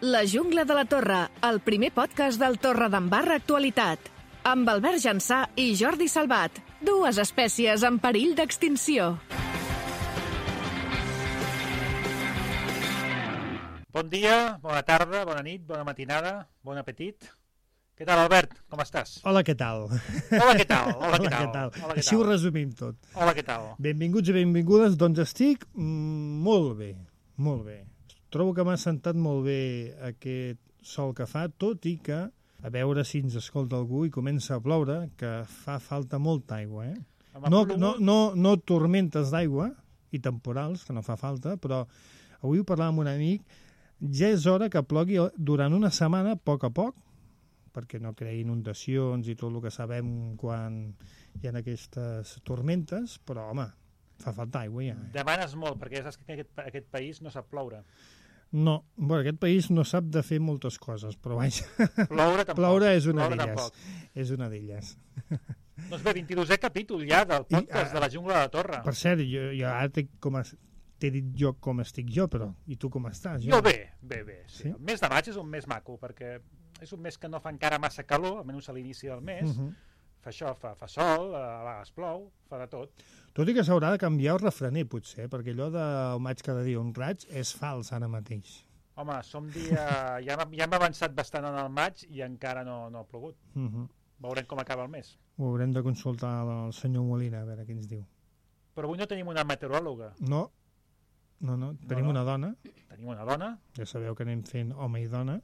La jungla de la Torre, el primer podcast del Torredembarra Actualitat. Amb Albert Jansà i Jordi Salvat, dues espècies en perill d'extinció. Bon dia, bona tarda, bona nit, bona matinada, bon apetit. Què tal, Albert? Com estàs? Hola, què tal? Hola, què tal? Hola, què tal? Així ho resumim tot. Hola, què tal? Benvinguts i benvingudes, doncs estic molt bé, molt bé. Trobo que m'ha sentat molt bé aquest sol que fa, tot i que, a veure si ens escolta algú i comença a ploure, que fa falta molta aigua, eh? No tormentes d'aigua i temporals, que no fa falta, però avui ho parlàvem amb un amic, ja és hora que plogui durant una setmana, a poc, perquè no creï inundacions i tot el que sabem quan hi ha aquestes tormentes, però, home, fa falta aigua ja. Demanes molt, perquè saps que aquest país no sap ploure. No, bueno, aquest país no sap de fer moltes coses, però vaja, Ploure tampoc. Ploure és una Ploure d'elles. tampoc. És una d'elles. Doncs bé, 22è capítol ja del podcast de la jungla de la Torre. Per cert, jo ara t'he dit jo com estic jo, però i tu com estàs? Jo bé. Sí. Sí? El mes de maig és un mes maco, perquè és un mes que no fa encara massa calor, almenys a l'inici del mes. Fa això, fa sol, a vegades plou, fa de tot. Tot i que s'haurà de canviar el refrener, potser, perquè allò del maig cada dia un raig és fals ara mateix. Home, ja hem avançat bastant en el maig i encara no ha plogut. Veurem com acaba el mes. Ho haurem de consultar al senyor Molina, a veure què ens diu. Però avui no tenim una meteoròloga. No. Tenim una dona. Tenim una dona. Ja sabeu que anem fent home i dona.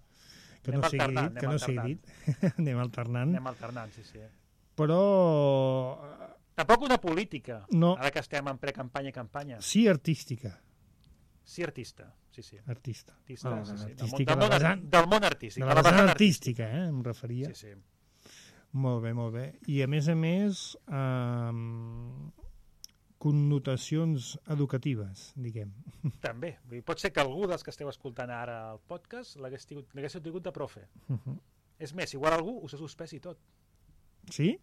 Que Anem no sigui alternant. dit. Anem alternant. Anem alternant, sí. Però... Tampoc una política, No. ara que estem en precampanya i campanya. Sí, artística. Sí, artista, sí. Artista. Artista, sí. Artística, Del món artístic. de la vessant artística, em referia. Sí. Molt bé. I a més, connotacions educatives, diguem. També. Pot ser que algú dels que esteu escoltant ara el podcast l'haguéssiu tingut de profe. És més, igual algú us ha suspès i tot. Sí?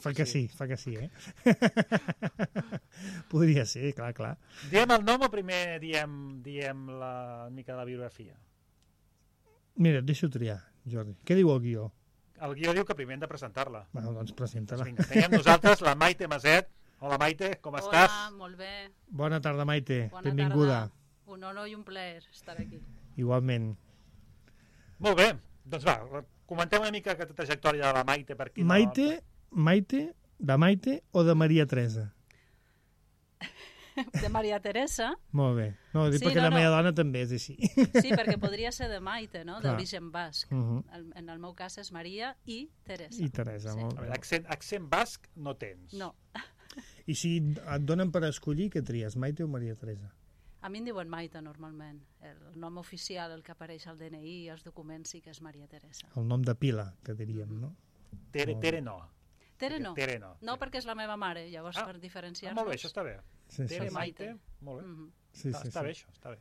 Fa que sí, eh? Podria ser, clar. Diem el nom o primer diem la mica de la biografia? Mira, et deixo triar, Jordi. Què diu el guió? El guió diu que primer hem de presentar-la. Bueno, doncs presenta-la. Vinga, tenim nosaltres la Maite Maset. Hola, Maite, com estàs? Hola, molt bé. Bona tarda, Maite. Bona Benvinguda. tarda. Un honor i un plaer estar aquí. Igualment. Molt bé, doncs va, comentem una mica aquesta trajectòria de la Maite per aquí. Maite, de Maite o de Maria Teresa? De Maria Teresa. Molt bé. No, dic perquè la meva dona també és així. Sí, perquè podria ser de Maite, no? D'origen basc. En el meu cas és Maria i Teresa. I Teresa, Sí. molt A bé. veure, accent basc no tens. No. I si et donen per escollir, què tries, Maite o Maria Teresa? A mi em diuen Maite, normalment. El nom oficial, el que apareix al DNI i als documents, sí que és Maria Teresa. El nom de pila, que diríem, no? Tere no. Tere no. Tere no. No, perquè és la meva mare, llavors per diferenciar-nos... Molt bé, això està bé. Sí. Tere, Sí. Maite, molt bé. Sí. Està bé, això, està bé.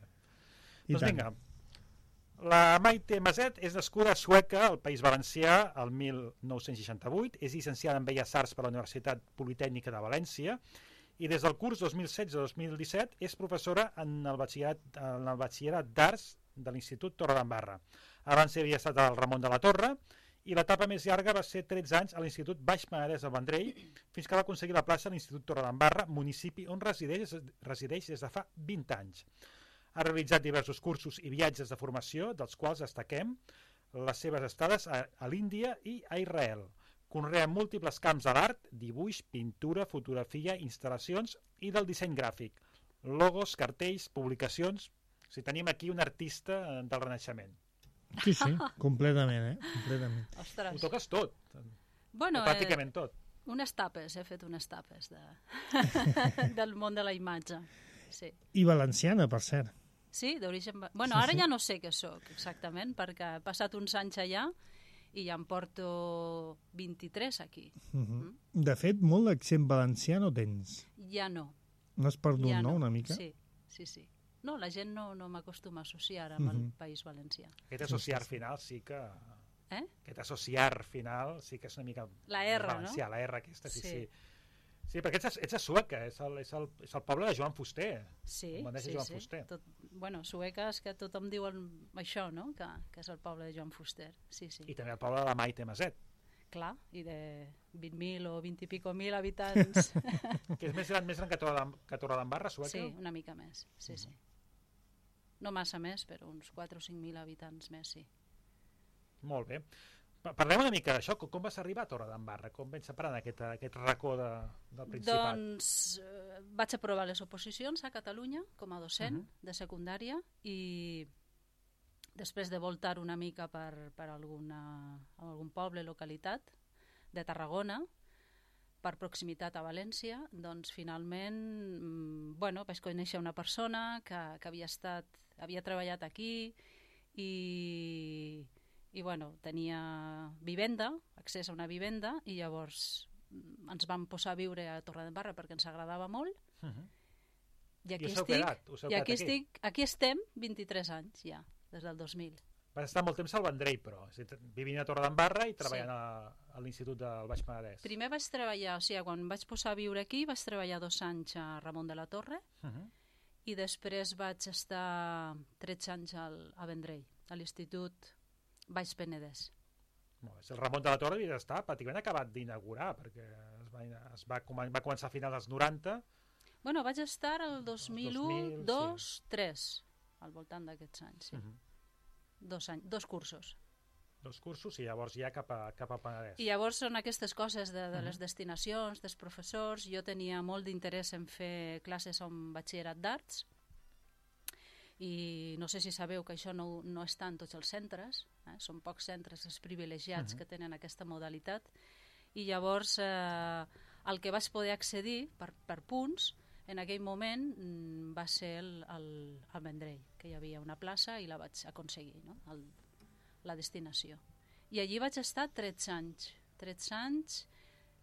I Doncs tant. vinga, la Maite Maset és nascuda a Sueca, al País Valencià, el 1968, és llicenciada en Belles Arts per la Universitat Politècnica de València i des del curs 2016-2017 és professora en el batxillerat d'Arts de l'Institut Torredembarra. Abans havia estat al Ramon de la Torre i l'etapa més llarga va ser 13 anys a l'Institut Baix Penedès del Vendrell fins que va aconseguir la plaça a l'Institut Torredembarra, municipi on resideix des de fa 20 anys. Ha realitzat diversos cursos i viatges de formació, dels quals destaquem les seves estades a l'Índia i a Israel. Conrea múltiples camps de l'art, dibuix, pintura, fotografia, instal·lacions i del disseny gràfic, logos, cartells, publicacions. O sigui, tenim aquí un artista del Renaixement. Sí, completament, Completament. Ostres. Ho toques tot, Bueno, o pràcticament tot. unes tapes, he fet unes tapes del món de la imatge. Sí. I valenciana, per cert. Sí, d'origen... Bueno, ara ja no sé què sóc exactament, perquè he passat uns anys allà i ja em porto 23 aquí. De fet, molt d'accent valencià no tens. Ja no. No has perdut, Ja no, una mica? Sí. No, la gent no m'acostuma a associar amb el País Valencià. Aquest associar final sí que... Eh? Aquest associar final sí que és una mica... La R, valencià, no? la R aquesta, sí. Sí, perquè ets a Sueca, és el poble de Joan Fuster. Sí, On va néixer Joan Fuster. Bueno, Sueca és que tothom diu això, no? Que és el poble de Joan Fuster. Sí. I també el poble de la Maite Maset. Clar, i de 20.000 o 20 i pico mil habitants. Que és més gran que Torredembarra, Sueca? Sí, una mica més, sí. No massa més, però uns 4 o 5.000 habitants més, sí. Molt bé. Parlem una mica d'això, com vas arribar a Torredembarra? Com vens separant aquest racó del Principat? Doncs vaig aprovar les oposicions a Catalunya com a docent de secundària i després de voltar una mica per algun poble, localitat de Tarragona, per proximitat a València, doncs finalment vaig conèixer una persona que havia treballat aquí i tenia vivenda, accés a una vivenda, i llavors ens vam posar a viure a Torredembarra perquè ens agradava molt. I aquí estem 23 anys ja, des del 2000. Vas estar molt temps al Vendrell, però, vivint a Torredembarra i treballant a l'Institut del Baix Penedès. Primer vaig treballar, quan vaig posar a viure aquí, vaig treballar 2 anys a Ramon de la Torre, i després vaig estar 13 anys a Vendrell, a l'Institut Baix Penedès. El Ramon de la Torre havia d'estar pràcticament acabat d'inaugurar, perquè va començar a finals dels 90. Vaig estar el 2001, 2, 3, al voltant d'aquests anys, sí. 2 anys, 2 cursos. 2 cursos i llavors ja cap a Penedès. I llavors són aquestes coses de les destinacions, dels professors. Jo tenia molt d'interès en fer classes en batxillerat d'arts, i no sé si sabeu que això no està en tots els centres, són pocs centres els privilegiats que tenen aquesta modalitat, i llavors el que vaig poder accedir per punts en aquell moment va ser el Vendrell, que hi havia una plaça i la vaig aconseguir, no? La destinació. I allí vaig estar 13 anys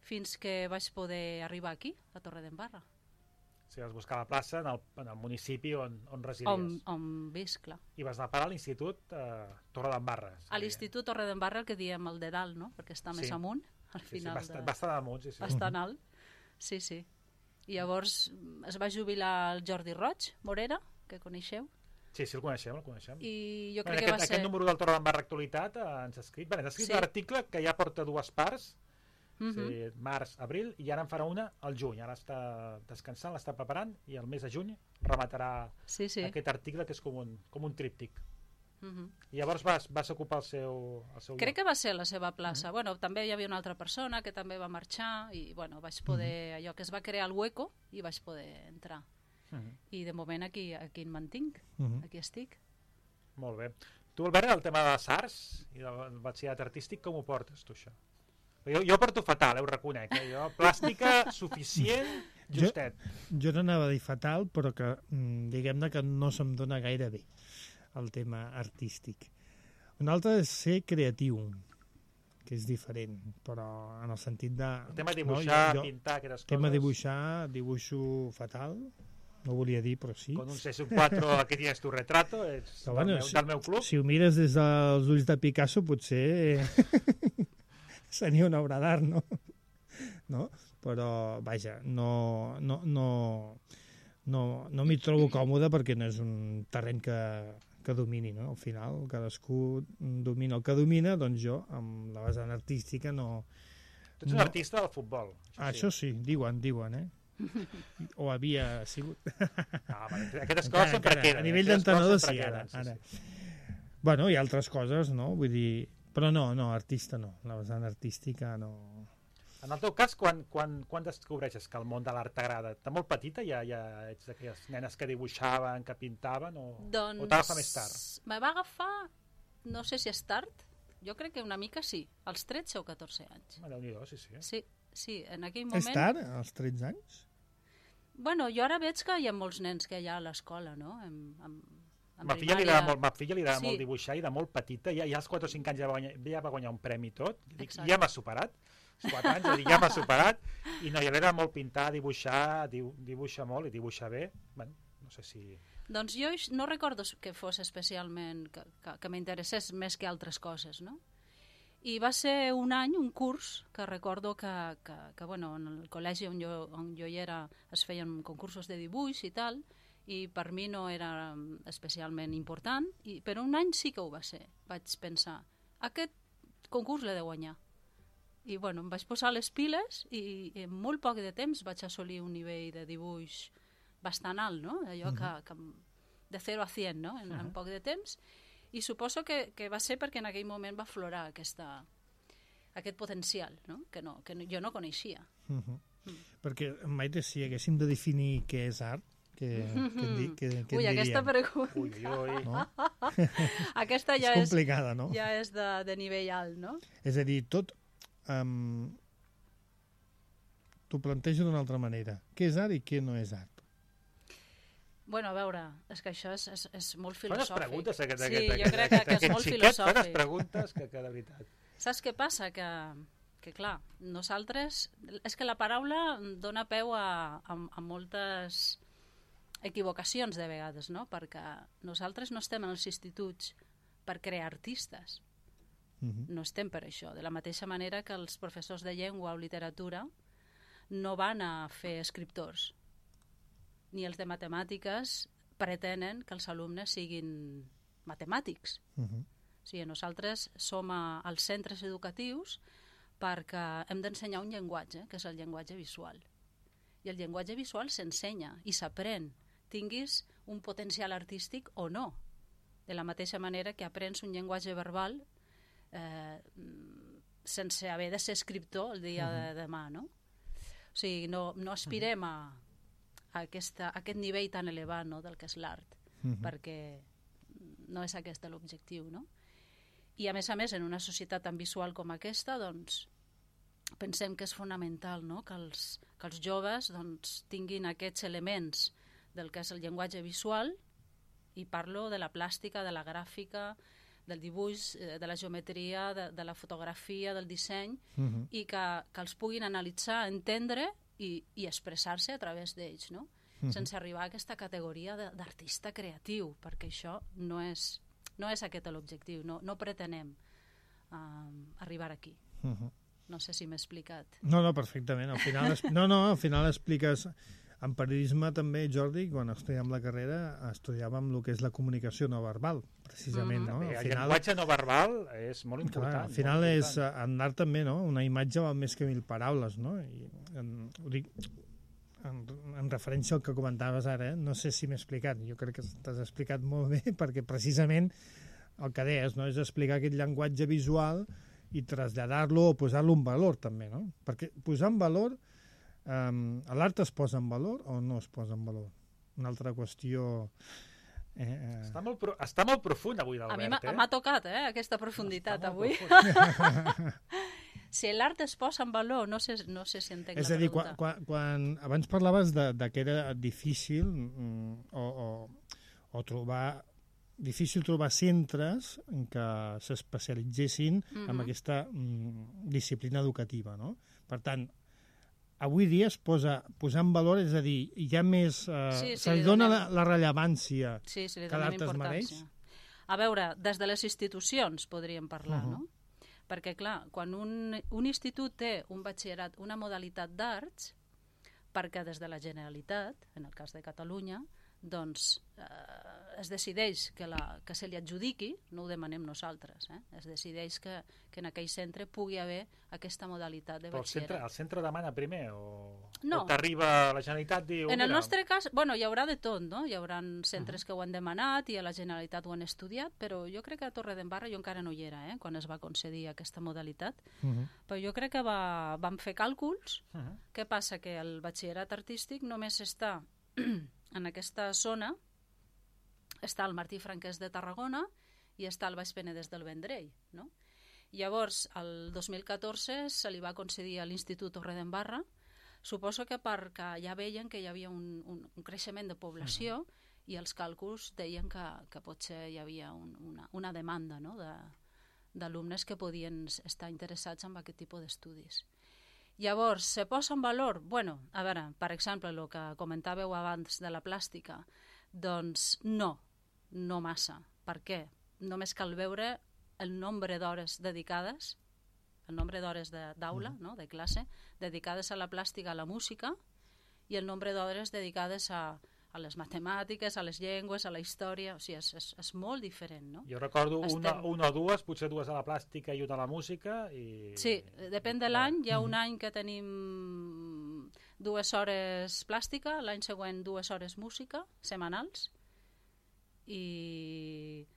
fins que vaig poder arribar aquí, a Torredembarra. Si vas buscar la plaça en el municipi on residies. On visc, clar. I vas anar a parar a l'Institut Torredembarra. A l'Institut Torredembarra, el que diem el de dalt, no? Perquè està més amunt, al final. Bastant amunt, sí. Bastant alt, sí. I llavors es va jubilar el Jordi Roig, Morera, que coneixeu. Sí, el coneixem. I jo crec que va ser... Aquest número del Torredembarra Actualitat ens ha escrit un article que ja porta 2 parts, març, abril, i ara en farà una al juny. Ara està descansant, l'està preparant, i el mes de juny rematarà aquest article, que és com un tríptic. I llavors vas ocupar el seu Crec que va ser la seva plaça. També hi havia una altra persona que també va marxar, i vaig poder, allò que es va crear el hueco, i vaig poder entrar. I de moment aquí em mantinc, aquí estic. Molt bé. Tu, Albert, el tema de les arts i del batxillerat artístic, com ho portes, tu, això? Jo porto fatal, ho reconec. Jo, plàstica, suficient, justet. Jo n'anava a dir fatal, però que diguem-ne que no se'm dona gaire bé el tema artístic. Un altre és ser creatiu, que és diferent, però en el sentit de... El tema de dibuixar, pintar, aquestes coses... El tema de dibuixar, dibuixo fatal, no volia dir, però sí. Con un CS4 que tienes tu retrato, és del meu club. Si ho mires des dels ulls de Picasso, potser... seria una obra d'art, no? Però, vaja, no m'hi trobo còmode perquè no és un terreny que domini, no? Al final, cadascú domina el que domina, doncs jo, amb la vessant artística, no... Tu ets un artista del futbol. Això sí, diuen, o havia sigut. Aquestes coses sempre queden. A nivell d'entrenador sí, ara. Bueno, hi ha altres coses, no? Vull dir... Però no, artista no, la vessant artística no. En el teu cas, quan descobreixes que el món de l'art t'agrada? De molt petita ja ets d'aquelles nenes que dibuixaven, que pintaven, o t'agafa més tard? Me va agafar, no sé si és tard, jo crec que una mica sí, als 13 o 14 anys. Déu-n'hi-do, sí. Sí, en aquell moment... És tard, als 13 anys? Jo ara veig que hi ha molts nens que hi ha a l'escola, no? Ma filla li agrada molt dibuixar, i de molt petita, ja als 4 o 5 anys ja va guanyar un premi i tot. Ja m'ha superat, als 4 anys ja m'ha superat, i no, ja li agrada molt pintar, dibuixar, dibuixa molt i dibuixa bé. No sé si... Doncs jo no recordo que fos especialment, que m'interessés més que altres coses, no? I va ser un any, un curs, que recordo que bueno, en el col·legi on jo hi era es feien concursos de dibuix i tal, i per mi no era especialment important, però un any sí que ho va ser. Vaig pensar, aquest concurs l'he de guanyar. I bueno, em vaig posar les piles i en molt poc de temps vaig assolir un nivell de dibuix bastant alt, no? Allò que de 0 a 100, no? En poc de temps. I suposo que va ser perquè en aquell moment va aflorar aquest potencial, no? Que jo no coneixia. Perquè, Maite, si haguéssim de definir què és art, què Ui, aquesta pregunta. Ui. No? Aquesta ja és complicada, no? Ja és de nivell alt, no? És a dir, tot... T'ho plantejo d'una altra manera. Què és art i què no és art? Bueno, a veure, és que això és molt filosòfic. Fa unes preguntes, jo crec que és molt filosòfic. Fa unes preguntes que de veritat. Saps què passa? Que clar, nosaltres... És que la paraula dona peu a moltes equivocacions de vegades, no? Perquè nosaltres no estem en els instituts per crear artistes. No estem per això. De la mateixa manera que els professors de llengua o literatura no van a fer escriptors, ni els de matemàtiques pretenen que els alumnes siguin matemàtics. O sigui, nosaltres som als centres educatius perquè hem d'ensenyar un llenguatge, que és el llenguatge visual. I el llenguatge visual s'ensenya i s'aprèn, tinguis un potencial artístic o no. De la mateixa manera que aprens un llenguatge verbal sense haver de ser escriptor el dia de demà, no? O sigui, no aspirem a aquest nivell tan elevat, no, del que és l'art, perquè no és aquest l'objectiu, no? I a més, en una societat tan visual com aquesta, doncs, pensem que és fonamental, no?, que els joves doncs, tinguin aquests elements del que és el llenguatge visual, i parlo de la plàstica, de la gràfica, del dibuix, de la geometria, de la fotografia, del disseny, i que els puguin analitzar, entendre i expressar-se a través d'ells, no? Sense arribar a aquesta categoria d'artista creatiu, perquè això no és aquest l'objectiu, no pretenem arribar aquí. No sé si m'he explicat. No, perfectament. Al final expliques... En periodisme també, Jordi, quan estudiàvem la carrera, estudiàvem el que és la comunicació no verbal, precisament, no? El llenguatge no verbal és molt important. Clar, al final és, en art també, no? Una imatge val més que 1000 paraules, no? I ho dic en referència al que comentaves ara, no sé si m'he explicat, jo crec que t'has explicat molt bé, perquè precisament el que deies, no?, és explicar aquest llenguatge visual i traslladar-lo o posar-lo en valor també, no? Perquè posar en valor... l'art es posa en valor o no es posa en valor? Una altra qüestió... Està molt profund avui l'Albert. A mi m'ha tocat aquesta profunditat avui. Si l'art es posa en valor, no sé si entenc la pregunta. És a dir, quan abans parlaves de que era difícil o trobar... difícil trobar centres en què s'especialitzessin en aquesta disciplina educativa, no? Per tant, avui dia es posa en valor, és a dir, hi ha més... se li dona la rellevància que l'art es mereix? A veure, des de les institucions podríem parlar, no? Perquè, clar, quan un institut té un batxillerat, una modalitat d'arts, perquè des de la Generalitat, en el cas de Catalunya, doncs es decideix que se li adjudiqui, no ho demanem nosaltres, es decideix que en aquell centre pugui haver aquesta modalitat de batxillerat. Però el centre demana primer o t'arriba la Generalitat diu... En el nostre cas, bueno, hi haurà de tot, no? Hi haurà centres que ho han demanat i a la Generalitat ho han estudiat, però jo crec que a Torredembarra jo encara no hi era, quan es va concedir aquesta modalitat, però jo crec que vam fer càlculs. Què passa? Que el batxillerat artístic només està en aquesta zona, està el Martí Franquès de Tarragona i està el Baix Penedès del Vendrell, no? Llavors, el 2014 se li va concedir a l'Institut Torredembarra, suposo que perquè ja veien que hi havia un creixement de població i els càlculs deien que potser hi havia una demanda, no?, d'alumnes que podien estar interessats en aquest tipus d'estudis. Llavors, se posa en valor? Bueno, a veure, per exemple, el que comentàveu abans de la plàstica, doncs no massa. Per què? Només cal veure el nombre d'hores dedicades el nombre d'hores d'aula, no? De classe, dedicades a la plàstica, a la música, i el nombre d'hores dedicades a les matemàtiques, a les llengües, a la història, o sigui, és molt diferent, no? Jo recordo una o dues, potser dues a la plàstica i una a la música. Sí, depèn de l'any. Hi ha un any que tenim 2 hores plàstica, l'any següent 2 hores música, setmanals, i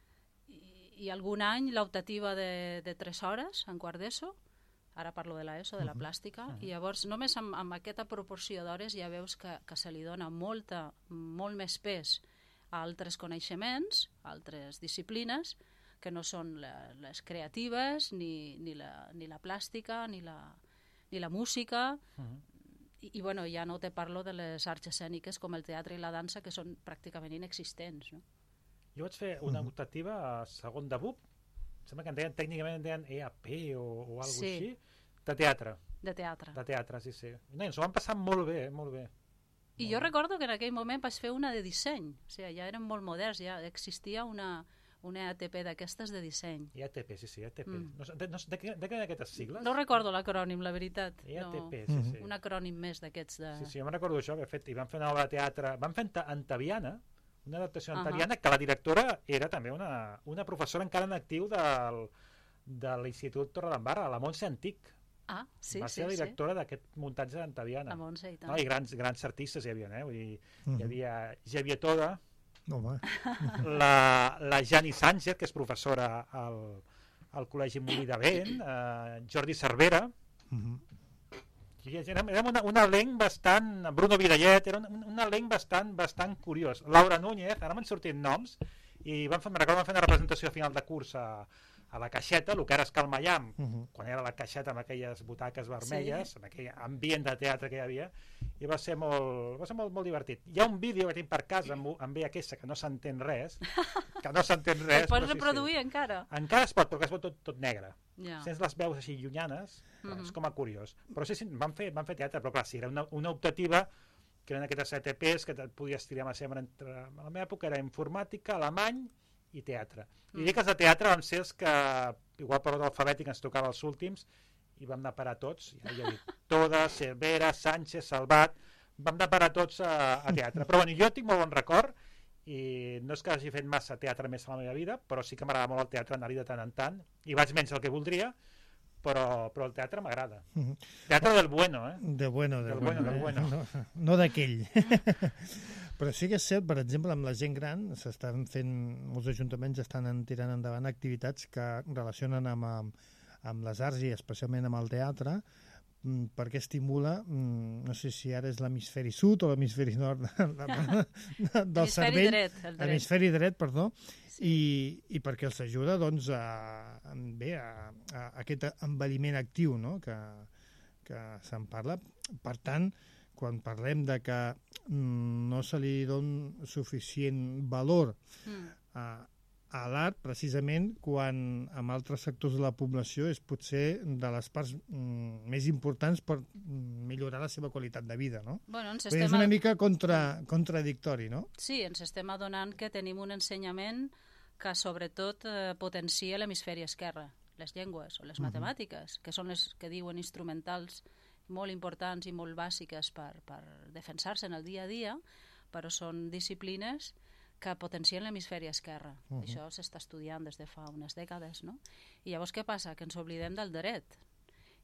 algun any l'optativa de 3 hores en quart d'ESO. Ara parlo de l'ESO, de la plàstica, i llavors només amb aquesta proporció d'hores ja veus que se li dona molt més pes a altres coneixements, a altres disciplines, que no són les creatives, ni la plàstica, ni la música, i bueno, ja no te parlo de les arts escèniques com el teatre i la dansa, que són pràcticament inexistents, no? Jo vaig fer una optativa a segon de BUP, sembla que tècnicament en deien EAP o alguna cosa així, de teatre. De teatre. De teatre, sí. No, ens ho van passar molt bé, molt bé. I jo recordo que en aquell moment vaig fer una de disseny, o sigui, ja eren molt moderns, ja existia una EATP d'aquestes de disseny. EATP, sí, EATP. De què eren aquestes sigles? No recordo l'acrònim, la veritat. EATP, sí. Un acrònim més d'aquests de... Sí, jo me'n recordo això, i vam fer una obra de teatre, vam fer Antaviana, una adaptació antaviana, que la directora era també una professora encara en actiu de l'Institut Torredembarra, la Montse Antic. Sí. Va ser la directora d'aquest muntatge d'Antaviana. La Montse, i tant. No, i grans artistes hi havia, Vull dir, hi havia Xavier Toda, la Jani Sánchez, que és professora al Col·legi Molí de Vent, Jordi Cervera, era un elenc bastant... Bruno Vidallet, era un elenc bastant curiós. Laura Núñez, ara m'han sortit noms, i me'n recordo vam fer una representació a final de curs a la Caixeta, el que ara és Cal Maiam, quan era la Caixeta amb aquelles butaques vermelles, amb aquell ambient de teatre que hi havia, i va ser molt divertit. Hi ha un vídeo que tinc per casa amb VHS que no s'entén res, El pots reproduir encara? Encara es pot, però que es pot tot negre. Yeah. Sents les veus així llunyanes, és com a curiós. Però sí, van fer teatre, però clar, sí, era una optativa que eren aquestes ETPs que et podies tirar sempre entre... A la meva època era informàtica, alemany i teatre. I dic que els de teatre van ser els que, igual per l'ordre alfabètic, ens tocava els últims, i vam anar a parar tots, ja he dit, Toda, Cervera, Sánchez, Salvat, vam anar a parar tots a teatre. Però bueno, jo tinc molt bon record, i no és que hagi fet massa teatre més a la meva vida, però sí que m'agrada molt el teatre, anar-hi de tant en tant, i vaig menys el que voldria, però el teatre m'agrada. Teatre del bueno, Del bueno. No d'aquell. Però sí que és cert, per exemple, amb la gent gran, s'estan fent, molts ajuntaments estan tirant endavant activitats que relacionen amb les arts i especialment amb el teatre, perquè estimula, no sé si ara és l'hemisferi sud o l'hemisferi nord del cervell. L'hemisferi dret, perdó, i perquè els ajuda doncs, a aquest envelliment actiu, no? que se'n parla. Per tant, quan parlem de que no se li dona suficient valor a l'art, precisament quan en altres sectors de la població és potser de les parts més importants per millorar la seva qualitat de vida, no? Bueno, és una mica contradictori, no? Sí, ens estem adonant que tenim un ensenyament que sobretot potencia l'hemisferi esquerre, les llengües o les matemàtiques, que són les que diuen instrumentals molt importants i molt bàsiques per defensar-se en el dia a dia, però són disciplines que potencien l'hemisferi esquerre. Això s'està estudiant des de fa unes dècades, no? I llavors què passa? Que ens oblidem del dret.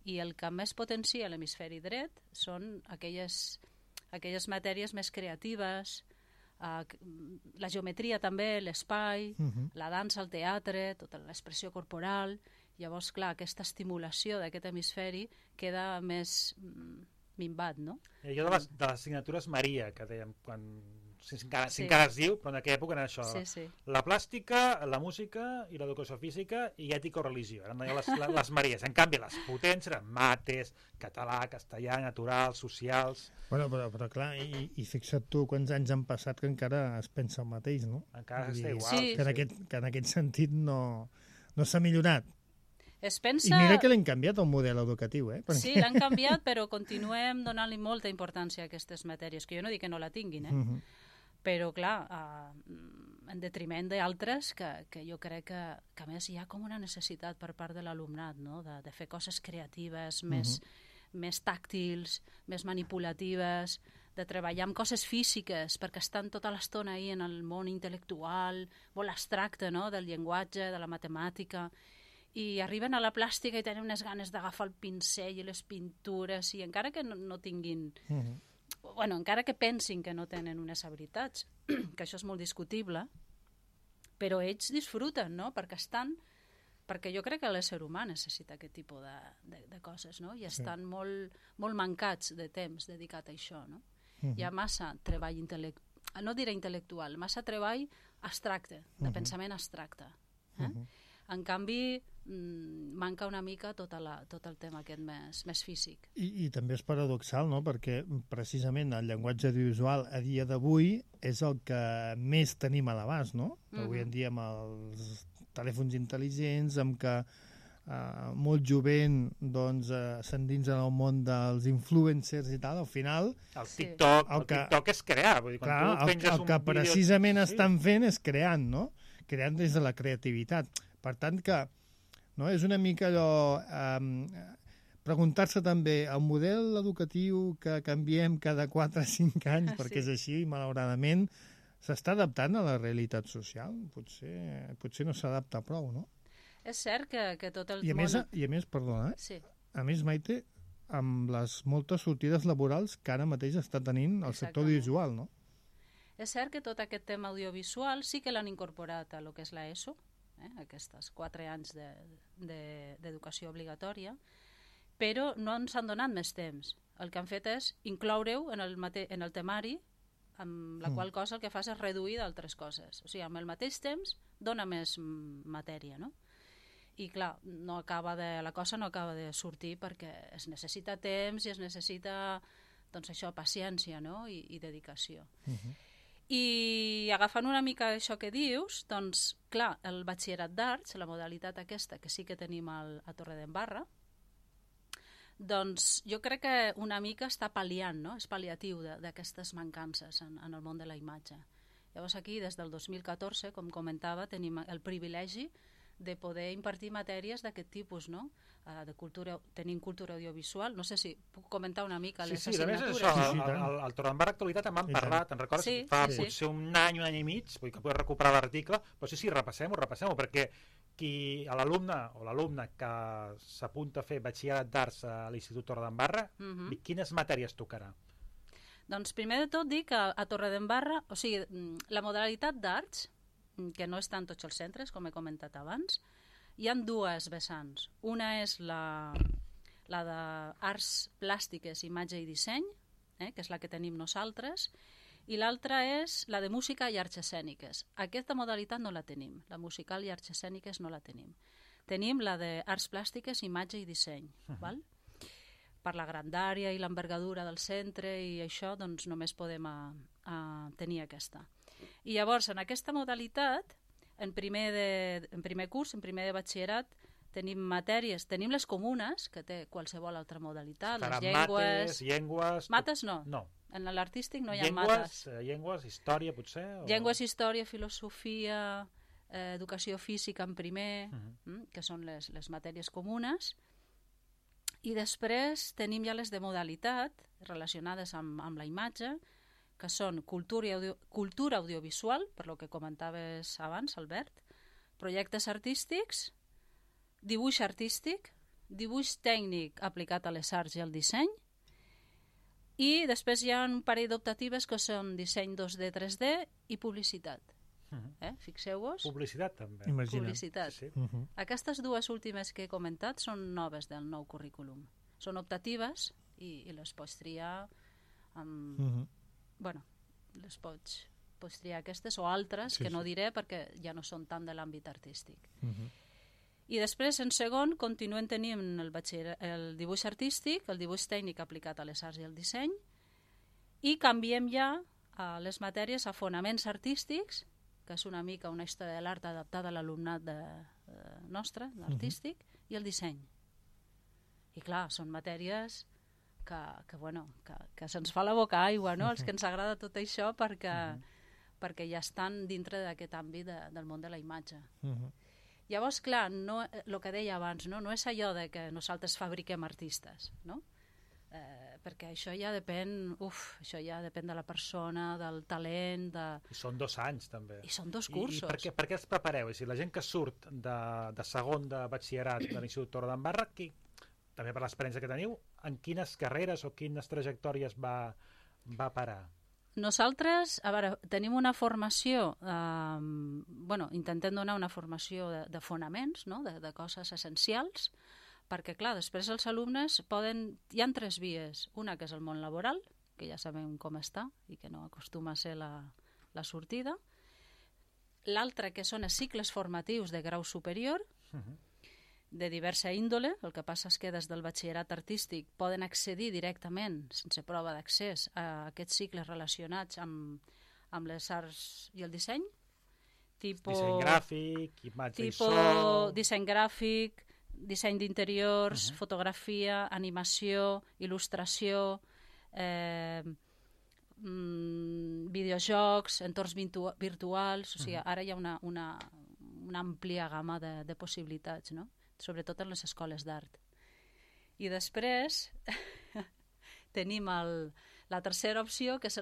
I el que més potencia l'hemisferi dret són aquelles matèries més creatives, la geometria també, l'espai, la dansa, el teatre, tota l'expressió corporal. Llavors, clar, aquesta estimulació d'aquest hemisferi queda més minvat, no? Jo de les assignatures Maria, que dèiem, si encara es diu, però en aquella època era això. Sí. La plàstica, la música i l'educació física i ètica o religió. Eren les Maries. En canvi, les potents eren mates, català, castellà, natural, socials... Bueno, però clar, i fixa't tu quants anys han passat que encara es pensa el mateix, no? Encara està igual. Sí. Que en aquest sentit no s'ha millorat. Es pensa... I mira que l'hem canviat el model educatiu, Perquè... Sí, l'han canviat, però continuem donant-li molta importància a aquestes matèries, que jo no dic que no la tinguin, Però, clar, en detriment d'altres que jo crec que a més hi ha com una necessitat per part de l'alumnat, no? de fer coses creatives, més tàctils, més manipulatives, de treballar amb coses físiques, perquè estan tota l'estona ahí en el món intel·lectual, molt abstracte, no? Del llenguatge, de la matemàtica, i arriben a la plàstica i tenen unes ganes d'agafar el pincell i les pintures, i encara que no tinguin... Bueno, encara que pensin que no tenen unes habilitats, que això és molt discutible, però ells disfruten, no? Perquè jo crec que l'ésser humà necessita aquest tipus de coses, no? I estan molt mancats de temps dedicat a això, no? Hi ha massa treball no diré intel·lectual, massa treball abstracte, de pensament abstracte. En canvi, manca una mica tot el tema aquest més físic. I també és paradoxal, no? Perquè precisament el llenguatge audiovisual a dia d'avui és el que més tenim a l'abast, no? Avui en dia amb els telèfons intel·ligents, amb que molt jovent s'endinsen al món dels influencers i tal, al final... El TikTok és crear. Vull dir, clar, el que precisament estan fent és creant, no? Creant des de la creativitat. Per tant que és una mica allò... Preguntar-se també, el model educatiu que canviem cada 4 o 5 anys, perquè és així, malauradament, s'està adaptant a la realitat social? Potser no s'adapta prou, no? És cert que tot el món... I a més, perdona, a més, Maite, amb les moltes sortides laborals que ara mateix està tenint el sector audiovisual, no? És cert que tot aquest tema audiovisual sí que l'han incorporat a lo que és l'ESO, aquests 4 anys d'educació obligatòria, però no ens han donat més temps. El que han fet és incloure-ho en el temari, amb la qual cosa el que fas és reduir d'altres coses. O sigui, amb el mateix temps dona més matèria, no? I clar, la cosa no acaba de sortir perquè es necessita temps i es necessita, doncs això, paciència, no? I dedicació. I agafant una mica això que dius, doncs, clar, el batxillerat d'arts, la modalitat aquesta que sí que tenim a Torredembarra, doncs jo crec que una mica està pal·liant, no? És pal·liatiu d'aquestes mancances en el món de la imatge. Llavors aquí, des del 2014, com comentava, tenim el privilegi de poder impartir matèries d'aquest tipus, no? Tenim cultura audiovisual. No sé si puc comentar una mica les assignatures. Sí, a més això, al Torredembarra Actualitat en vam parlar, te'n recordes? Fa potser un any i mig, vull que puc recuperar l'article, però sí, repassem-ho, perquè l'alumne o l'alumne que s'apunta a fer batxillerat d'arts a l'Institut Torredembarra, quines matèries tocarà? Doncs primer de tot dic que a Torredembarra, o sigui, la modalitat d'arts, que no està en tots els centres, com he comentat abans, hi ha 2 vessants. Una és la d'arts plàstiques, imatge i disseny, que és la que tenim nosaltres, i l'altra és la de música i arts escèniques. Aquesta modalitat no la tenim, la musical i arts escèniques no la tenim. Tenim la d'arts plàstiques, imatge i disseny, val? Per la grandària i l'envergadura del centre i això, doncs només podem tenir aquesta. I llavors, en aquesta modalitat, en primer curs, en primer de batxillerat, tenim matèries, tenim les comunes, que té qualsevol altra modalitat, les llengües... Llengües... Mates no. En l'artístic no hi ha mates. Llengües, història, potser? Llengües, història, filosofia, educació física en primer, que són les matèries comunes. I després tenim ja les de modalitat, relacionades amb la imatge, que són cultura audiovisual, per lo que comentaves abans, Albert, projectes artístics, dibuix artístic, dibuix tècnic aplicat a les arts i al disseny, i després hi ha un parell d'optatives que són disseny 2D, 3D i publicitat. Fixeu-vos. Publicitat, també. Imagina't. Publicitat. Sí. Aquestes 2 últimes que he comentat són noves del nou currículum. Són optatives i les pots triar amb... Bueno, les pots triar aquestes o altres, que no diré perquè ja no són tant de l'àmbit artístic. I després, en segon, continuem tenint el dibuix artístic, el dibuix tècnic aplicat a les arts i al disseny, i canviem ja les matèries a fonaments artístics, que és una mica una història de l'art adaptada a l'alumnat nostre, l'artístic, i el disseny. I clar, són matèries que se'ns fa la boca aigua, no? Els que ens agrada tot això, perquè perquè ja estan dintre d'aquest àmbit del món de la imatge. Uh-huh. Llavors, clar, el que deia abans, no és allò de que nosaltres fabriquem artistes, no? Perquè això ja depèn de la persona, del talent... I són 2 anys, també. I són 2 cursos. I per què els prepareu? És a dir, la gent que surt de segon de batxillerat de l'Institut Torredembarra, també per l'experiència que teniu, en quines carreres o quines trajectòries va parar? Nosaltres, a veure, tenim una formació, intentem donar una formació de fonaments, no? de coses essencials, perquè, clar, després els alumnes hi ha 3 vies. Una que és el món laboral, que ja sabem com està i que no acostuma a ser la sortida. L'altra que són els cicles formatius de grau superior, de diversa índole. El que passa és que des del batxillerat artístic poden accedir directament, sense prova d'accés, a aquests cicles relacionats amb les arts i el disseny. Disseny gràfic, imatge i so... Disseny gràfic, disseny d'interiors, fotografia, animació, il·lustració, videojocs, entorns virtuals... O sigui, ara hi ha una àmplia gamma de possibilitats, no? Sobretot en les escoles d'art. I després tenim la tercera opció, que és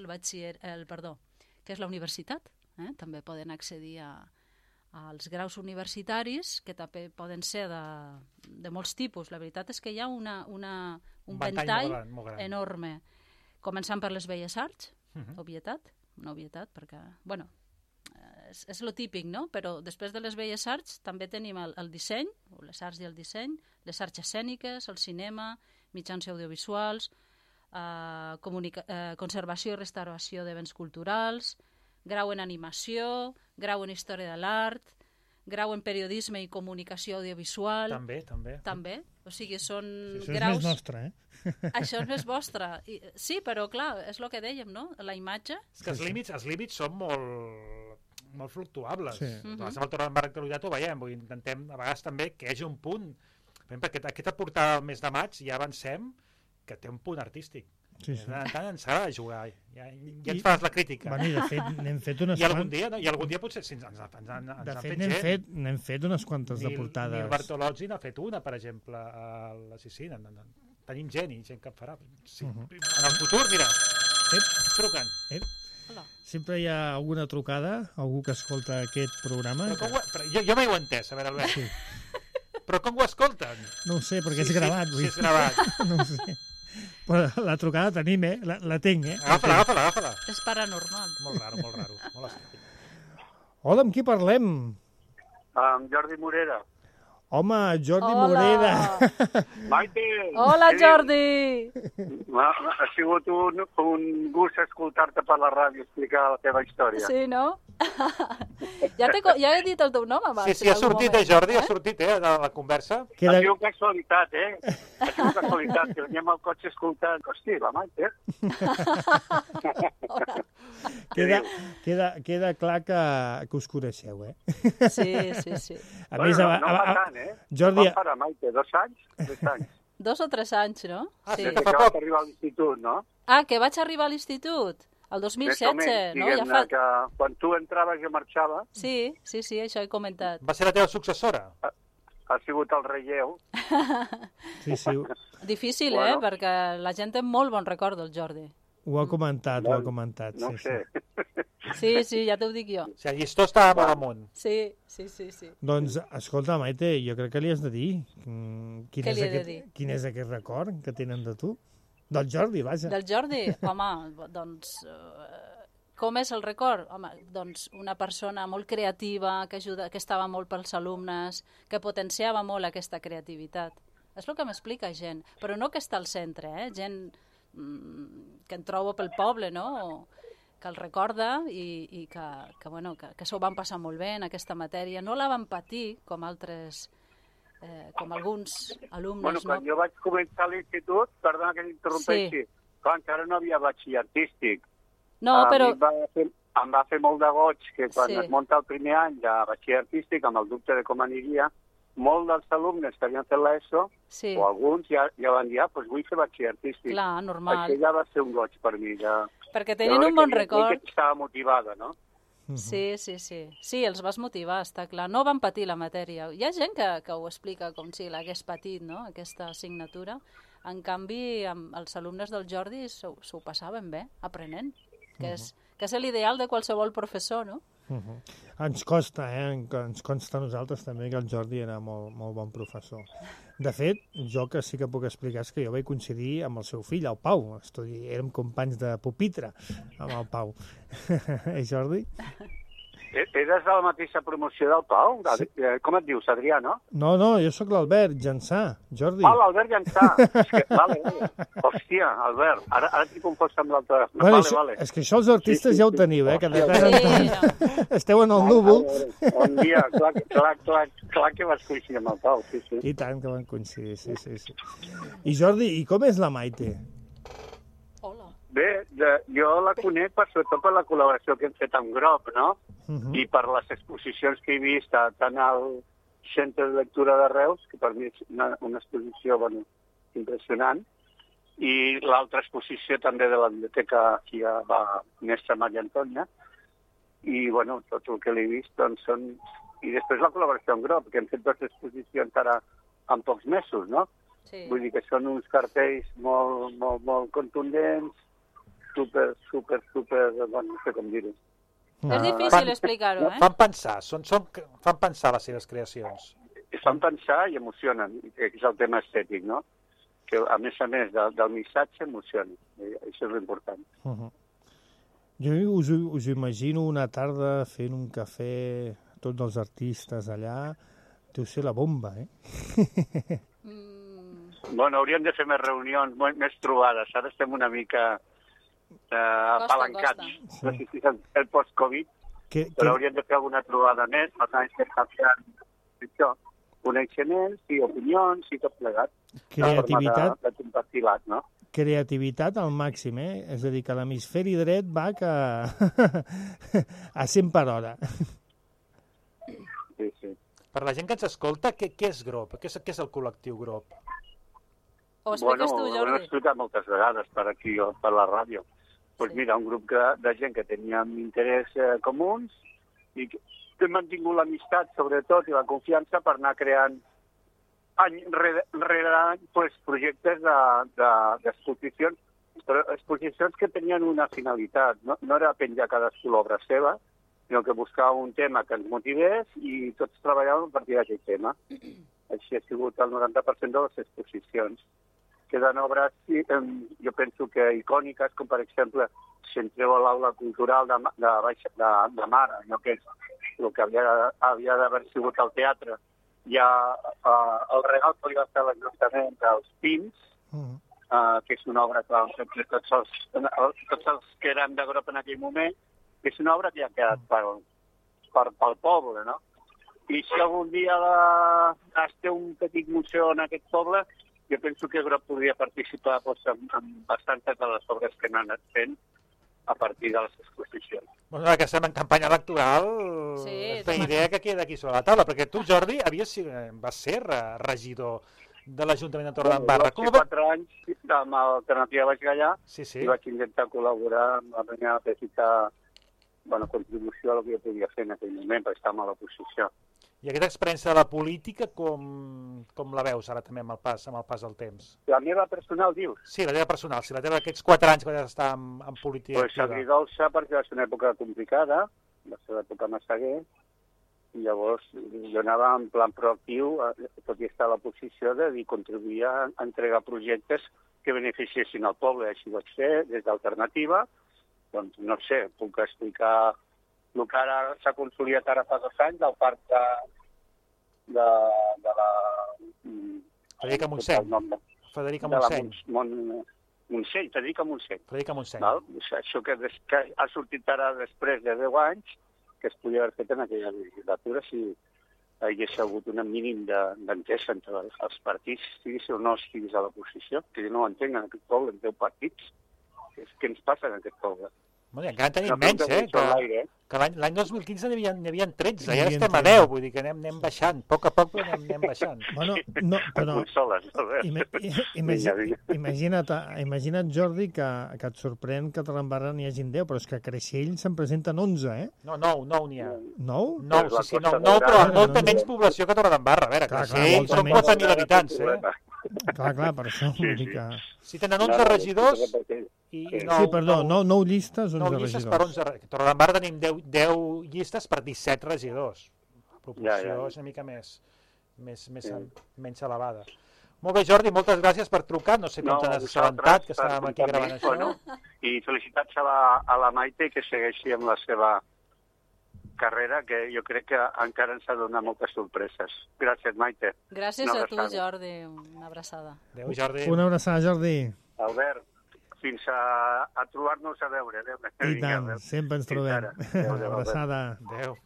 que és la universitat. També poden accedir als graus universitaris, que també poden ser de molts tipus. La veritat és que hi ha un ventall molt enorme. Començant per les belles arts, una obvietat, perquè, és lo típic, no? Però després de les belles arts també tenim el disseny, o les arts i el disseny, les arts escèniques, el cinema, mitjans audiovisuals, conservació i restauració de béns culturals, grau en animació, grau en història de l'art, grau en periodisme i comunicació audiovisual... També. O sigui, són graus... Això és més nostre, Això és més vostre. Sí, però clar, és el que dèiem, no? La imatge... És que els límits són molt fluctuables. Sí. Nosaltres amb el Torredembarra Actualitat ho veiem, intentem a vegades també que hi hagi un punt. Perquè aquesta portada del mes de maig ja avancem que té un punt artístic. Sí. Tant ens ha de jugar. Ja ens fas la crítica. Bueno, i de fet n'hem fet unes quantes... I algun dia potser ens han fet gent. N'hem fet unes quantes de portades. Nil Bartolozzi n'ha fet una, per exemple. Sí, tenim gent que en farà. Sí. En el futur, mira, truquen. Sempre hi ha alguna trucada, algú que escolta aquest programa. Jo mai ho he entès, a veure, Albert. Sí. Però com ho escolten? No ho sé, perquè és gravat. Sí, és gravat. No ho sé. Però la trucada tenim, la tinc, Agafa-la. És paranormal. Molt raro. Molt estrany. Hola, amb qui parlem? Amb Jordi Morera. Home, Jordi Morera. Maite! Hola, Jordi! Ha sigut un gust escoltar-te per la ràdio explicar la teva història. Sí, no? Ja he dit el teu nom abans. Sí, ha sortit, Jordi, ha sortit, de la conversa. Ha sigut casualitat, Ha sigut casualitat, que veníem al cotxe escoltant. Hosti, la Maite. Queda clar que us coneixeu, Sí. A més, no fa tant, Jordi... Quan farà, Maite? 2 anys? 3 anys? 2 o 3 anys, no? Sí. Que vaig arribar a l'institut, no? Que vaig arribar a l'institut? El 2016, no? Que quan tu entraves jo marxava. Sí, això he comentat. Va ser la teva successora? Ha sigut el relleu. Sí. Difícil, perquè la gent té molt bon record del Jordi. Ho ha comentat. No ho sé. Sí, ja t'ho dic jo. O sigui, el llistó estava molt amunt. Sí. Doncs, escolta, Maite, jo crec que li has de dir. Què li he de dir? Quin és aquest record que tenen de tu? Del Jordi, vaja. Del Jordi? Home, doncs... Com és el record? Home, doncs una persona molt creativa, que estava molt pels alumnes, que potenciava molt aquesta creativitat. És el que m'explica gent, però no que està al centre, gent que en trobo pel poble, no?, que el recorda i que s'ho van passar molt bé en aquesta matèria. No la van patir com altres, com alguns alumnes. Quan jo vaig començar a l'institut, perdona que t'interrompeixi, encara no havia batxiller artístic. No, però... Em va fer molt de goig que quan es munta el primer any de batxiller artístic, amb el dubte de com aniria, molts dels alumnes que havien fet l'ESO, o alguns ja van dir, doncs vull fer batxiller artístic. Clar, normal. Això ja va ser un goig per mi. Perquè tenien un bon record. Que estava motivada, no? Sí. Sí, els vas motivar, està clar. No van patir la matèria. Hi ha gent que ho explica com si l'hagués patit, no?, aquesta assignatura. En canvi, els alumnes del Jordi s'ho passaven bé, aprenent, que és l'ideal de qualsevol professor, no? Ens consta a nosaltres també que el Jordi era molt, molt bon professor. De fet, jo que sí que puc explicar és que jo vaig coincidir amb el seu fill, el Pau. Érem companys de pupitre amb el Pau. Jordi? Eres de la mateixa promoció del Pau? Sí. Com et dius, Adrià, no? No, jo sóc l'Albert Llançà, Jordi. Ah, l'Albert Llançà. Vale. Hòstia, Albert, ara t'hi confós amb l'altre. Vale. És que això els artistes ja ho teniu, que de tant en tant esteu en el núvol. Un dia, clar que vas coincidir amb el Pau, sí. I tant que van coincidir, sí. I Jordi, i com és la Maite? Bé, jo la conec sobretot per la col·laboració que hem fet amb Grob, no? I per les exposicions que he vist tant al Centre de Lectura de Reus, que per mi és una exposició impressionant, i l'altra exposició també de la biblioteca aquí a la mestra Maria Antònia, i tot el que l'he vist doncs són... I després la col·laboració amb Grob, que hem fet 2 exposicions ara en pocs mesos, no? Sí. Vull dir que són uns cartells molt contundents, super, no sé com dir-ho. És difícil explicar-ho, Fan pensar les seves creacions. Fan pensar i emocionen, que és el tema estètic, no? Que a més del missatge emociona. Això és l'important. Jo us imagino una tarda fent un cafè, tots els artistes allà, deu ser la bomba, Hauríem de fer més reunions, més trobades. Ara estem una mica apalancats. No sé si és el post-Covid, però hauríem de fer alguna trobada més, per tant, estem canviant això, coneixements i opinions i tot plegat. Creativitat. De compartilat, no? Creativitat al màxim, És a dir, que l'hemisferi dret va a 100 per hora. Sí. Per la gent que ens escolta, què és Grob? Què és el col·lectiu Grob? Ho expliques tu, Jordi? Ho he explicat moltes vegades per aquí, per la ràdio. Doncs mira, un grup de gent que teníem interès comuns i que hem mantingut l'amistat, sobretot, i la confiança per anar creant any rere any projectes d'exposicions, però exposicions que tenien una finalitat. No era penjar cadascú l'obra seva, sinó que buscava un tema que ens motivés i tots treballàvem a partir d'aquell tema. Així ha sigut el 90% de les exposicions. Queden obres, jo penso que icòniques, com per exemple, si entreu a l'aula cultural de Mar, allò que és el que havia d'haver sigut al teatre, hi ha el regal que li va fer l'Ajuntament dels Pins, que és una obra que vam fer tots els que érem de Grob en aquell moment, que és una obra que ja ha quedat pel poble, no? I si algun dia es té un petit museu en aquest poble, jo penso que Grob podria participar en bastantes de les obres que n'han anat fent a partir de les exposicions. Bueno, que estem en campanya electoral, la idea que queda aquí sobre la taula, perquè tu, Jordi, vas ser regidor de l'Ajuntament de Torredembarra. Jo vaig fer 4 anys amb Alternativa Baix Gallà i vaig intentar col·laborar amb la meva petita contribució a el que jo podia fer en aquell moment, perquè estàvem a l'oposició. I aquesta experiència de la política, com la veus ara també amb el pas del temps? La meva personal, dius? Sí, la teva personal, la teva d'aquests 4 anys que vas estar en política activa. Agridolça, perquè va ser una època complicada, va ser l'època Massaguer, i llavors jo anava en plan proactiu, tot i estar a la posició de contribuir a entregar projectes que beneficiessin al poble. Així ho vaig fer des d'Alternativa. Doncs no sé, puc explicar el que ara s'ha consolidat ara fa 2 anys del parc de la... Federica Montseny. Federica Montseny. Federica Montseny. Federica Montseny. Això que ha sortit ara després de 10 anys, que es podia haver fet en aquella legislatura si hi hagués hagut un mínim d'entesa entre els partits, estiguis o no estiguis a l'oposició, que jo no ho entenc en aquest poble, en 10 partits. Què ens passa en aquest poble? Bueno, encara tenim menys, Que l'any 2015 n'hi havia 13, ja estem a 10, vull dir que anem baixant, a poc però anem baixant. Bueno, no, però imagina't, Jordi, que et sorprèn que a Torredembarra n'hi hagin 10, però és que a Creixell se'n presenten 11, eh? No, 9 n'hi ha. 9? 9, sí, 9, però amb molta menys població que Torredembarra. A veure, Creixell són 4.000 habitants, Clar, per això vull dir que... Si tenen 11 regidors... Sí, perdó, 9 llistes, 11 regidors. 9 llistes per 11 regidors. A Torredembarra tenim 10 llistes per 17 regidors. La proporció és una mica menys elevada. Molt bé, Jordi, moltes gràcies per trucar. No sé com t'has assabentat, que estàvem aquí gravant això. I felicitats a la Maite, que segueixi amb la seva carrera, que jo crec que encara ens ha donat moltes sorpreses. Gràcies, Maite. Gràcies a tu, Jordi. Una abraçada. Adéu, Jordi. Una abraçada, Jordi. Albert, fins a trobar-nos a veure. I tant, sempre ens trobem. Una abraçada. Adéu.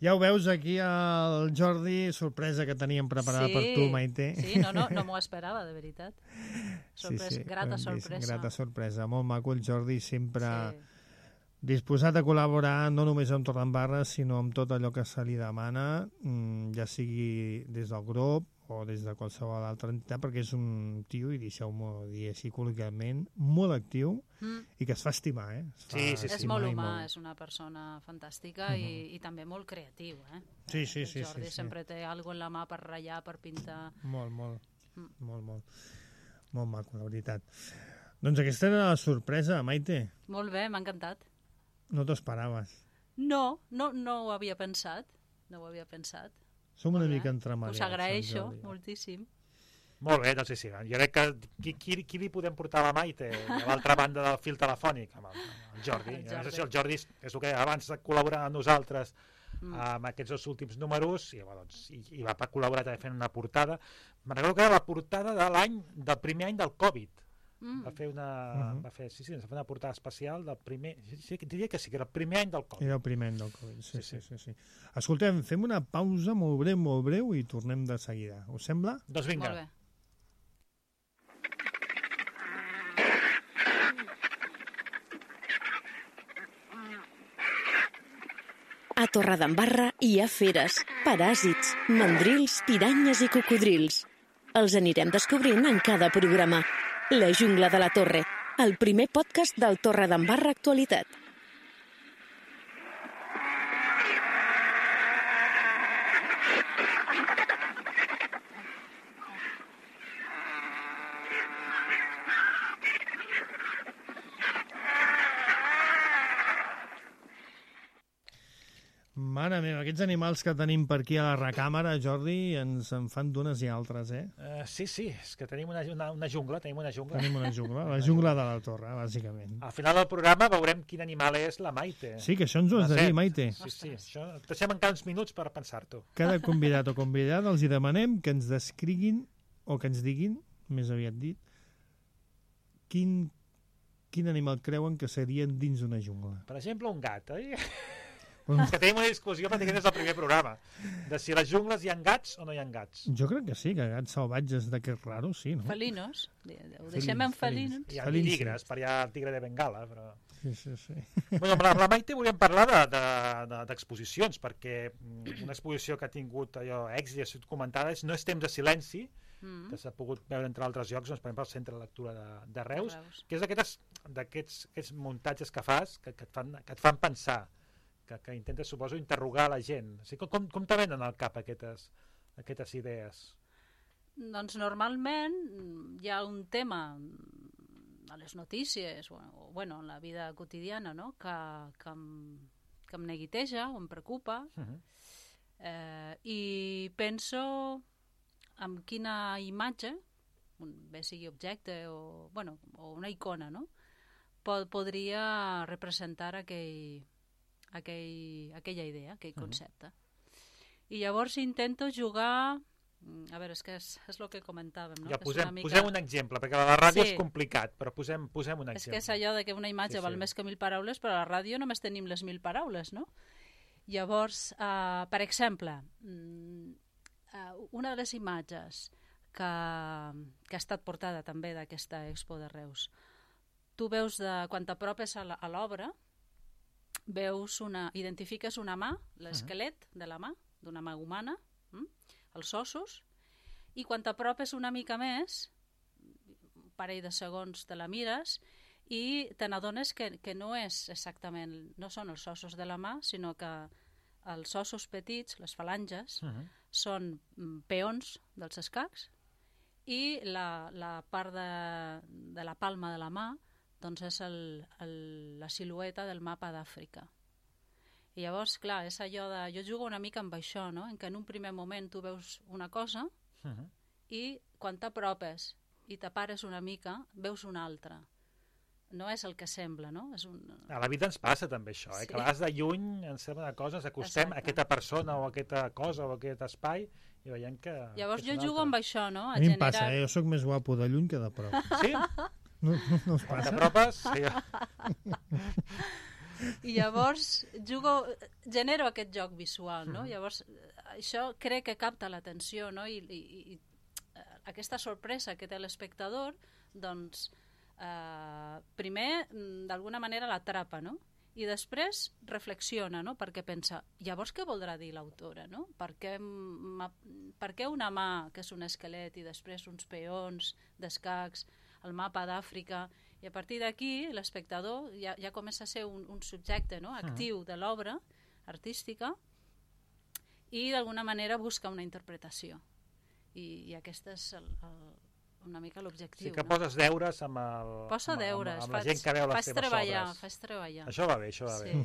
Ja ho veus aquí el Jordi, sorpresa que teníem preparada per tu, Maite. Sí, no m'ho esperava, de veritat. Grata sorpresa. Grata sorpresa. Molt maco el Jordi, sempre disposat a col·laborar no només amb Torredembarra, sinó amb tot allò que se li demana, ja sigui des del grup o des de qualsevol altra entitat, perquè és un tio, i deixeu-m'ho dir així col·loquialment, molt actiu i que es fa estimar, Sí. És molt humà, és una persona fantàstica i també molt creatiu, Sí. El Jordi sempre té alguna en la mà per ratllar, per pintar. Molt maco, la veritat. Doncs aquesta era la sorpresa, Maite. Molt bé, m'ha encantat. No t'ho esperaves. No ho havia pensat. Som una mica entremaliats. Us agraeixo moltíssim. Molt bé, doncs sí. Jo crec que qui li podem portar a la Maite a l'altra banda del fil telefònic? Amb el Jordi. El Jordi és el que abans de col·laborar amb nosaltres amb aquests 2 últims números i va col·laborar també fent una portada. Me'n recordo que era la portada del primer any del Covid. Va fer una portada especial del primer... Diria que sí, que era el primer any del Covid. Era el primer any del Covid, sí. Escoltem, fem una pausa molt breu i tornem de seguida. Us sembla? Doncs vinga. Molt bé. A Torredembarra hi ha feres, paràsits, mandrils, piranyes i cocodrils. Els anirem descobrint en cada programa. La jungla de la Torre, el primer podcast del Torredembarra Actualitat. Mare meva, aquests animals que tenim per aquí a la recàmera, Jordi, ens en fan d'unes i altres, Sí, és que tenim una jungla. Tenim una jungla, la jungla de la Torre, bàsicament. Al final del programa veurem quin animal és la Maite. Sí, que això ens ho has de dir, Maite. Sí, això deixem encara uns minuts per pensar-t'ho. Cada convidat o convidada els hi demanem que ens descriguin, o que ens diguin, més aviat dit, quin animal creuen que serien dins d'una jungla. Per exemple, un gat, oi? És que tenim una discussió pràcticament des del primer programa de si a les jungles hi ha gats o no hi ha gats. Jo crec que sí, que gats salvatges d'aquests raros, sí, no? Felinos, ho deixem en felinos. Hi ha tigres, per allà el tigre de Bengala, però... Sí. Bueno, amb la Maite volíem parlar d'exposicions, perquè una exposició que ha tingut allò èxit i ha sigut comentada és No és temps de silenci, que s'ha pogut veure entre altres llocs, doncs, per exemple, al Centre de Lectura de Reus, que és d'aquests muntatges que fas que et fan pensar, que intenta, suposo, interrogar la gent. O sigui, com te venen al cap aquestes idees? Doncs normalment hi ha un tema a les notícies o en la vida quotidiana, no? que em neguiteja o em preocupa i penso en quina imatge, bé sigui objecte o una icona, no? Podria representar aquella idea, aquell concepte. I llavors intento jugar... A veure, és que és el que comentàvem, no? Ja, posem un exemple, perquè a la ràdio és complicat, però posem un exemple. És que és allò de que una imatge val més que 1.000 paraules, però a la ràdio només tenim les 1.000 paraules, no? Llavors, per exemple, una de les imatges que ha estat portada també d'aquesta Expo de Reus, tu veus quan t'apropes a l'obra, identifiques una mà, l'esquelet de la mà, d'una mà humana, els ossos, i quan t'apropes una mica més, un parell de segons te la mires, i te n'adones que no és exactament, no són els ossos de la mà, sinó que els ossos petits, les falanges, són peons dels escacs, i la part de la palma de la mà doncs és la silueta del mapa d'Àfrica. I llavors, clar, és allò de... Jo jugo una mica amb això, no? En què en un primer moment tu veus una cosa i quan t'apropes i t'apares una mica, veus una altra. No és el que sembla, no? A la vida ens passa també això, que a vegades de lluny ens sembla una cosa, ens acostem a aquesta persona o a aquesta cosa o a aquest espai i veiem que... Llavors jo jugo amb això, no? A mi em passa, jo sóc més guapo de lluny que de prop. Sí? No us passa? Quan t'apropes? Sí. I llavors genero aquest joc visual, no? Llavors això crec que capta l'atenció, no? I aquesta sorpresa que té l'espectador, doncs primer d'alguna manera l'atrapa, no? I després reflexiona, no? Perquè pensa, llavors què voldrà dir l'autora, no? Per què una mà que és un esquelet i després uns peons d'escacs, el mapa d'Àfrica, i a partir d'aquí l'espectador ja comença a ser un subjecte, no? Actiu de l'obra artística i d'alguna manera busca una interpretació. I aquest és una mica l'objectiu. Sí que poses deures amb la gent que veu les teves obres. Faig treballar. Això va bé, això va bé.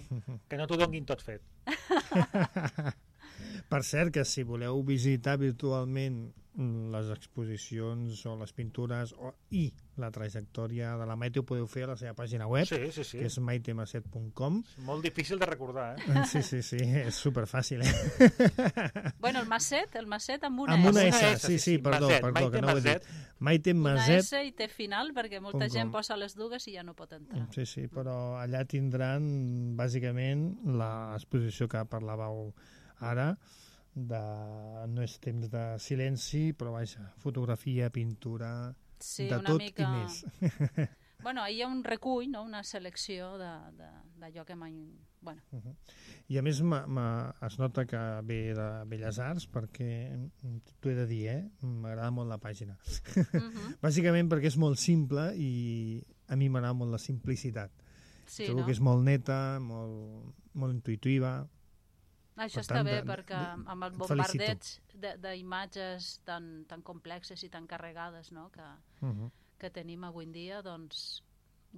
Que no t'ho donguin tot fet. Per cert, que si voleu visitar virtualment les exposicions o les pintures i la trajectòria de la Maite ho podeu fer a la seva pàgina web, que és maitemaset.com. Molt difícil de recordar, Sí, és superfàcil, Bueno, el Maset amb una S. Amb una S, sí, perdó, que no ho he dit. Maite Maset. Una S i té final, perquè molta gent posa les dues i ja no pot entrar. Sí, però allà tindran bàsicament l'exposició que parlàveu ara, no és temps de silenci, però vaja, fotografia, pintura, de tot i més. Bueno, hi ha un recull, no? Una selecció d'allò que mai... Bueno. I a més es nota que ve de Belles Arts, perquè t'ho he de dir, m'agrada molt la pàgina. Bàsicament perquè és molt simple i a mi m'agrada molt la simplicitat. Trobo que és molt neta, molt intuitiva. Això està bé, perquè amb el bombardeig d'imatges tan complexes i tan carregades, no? Que tenim avui en dia, doncs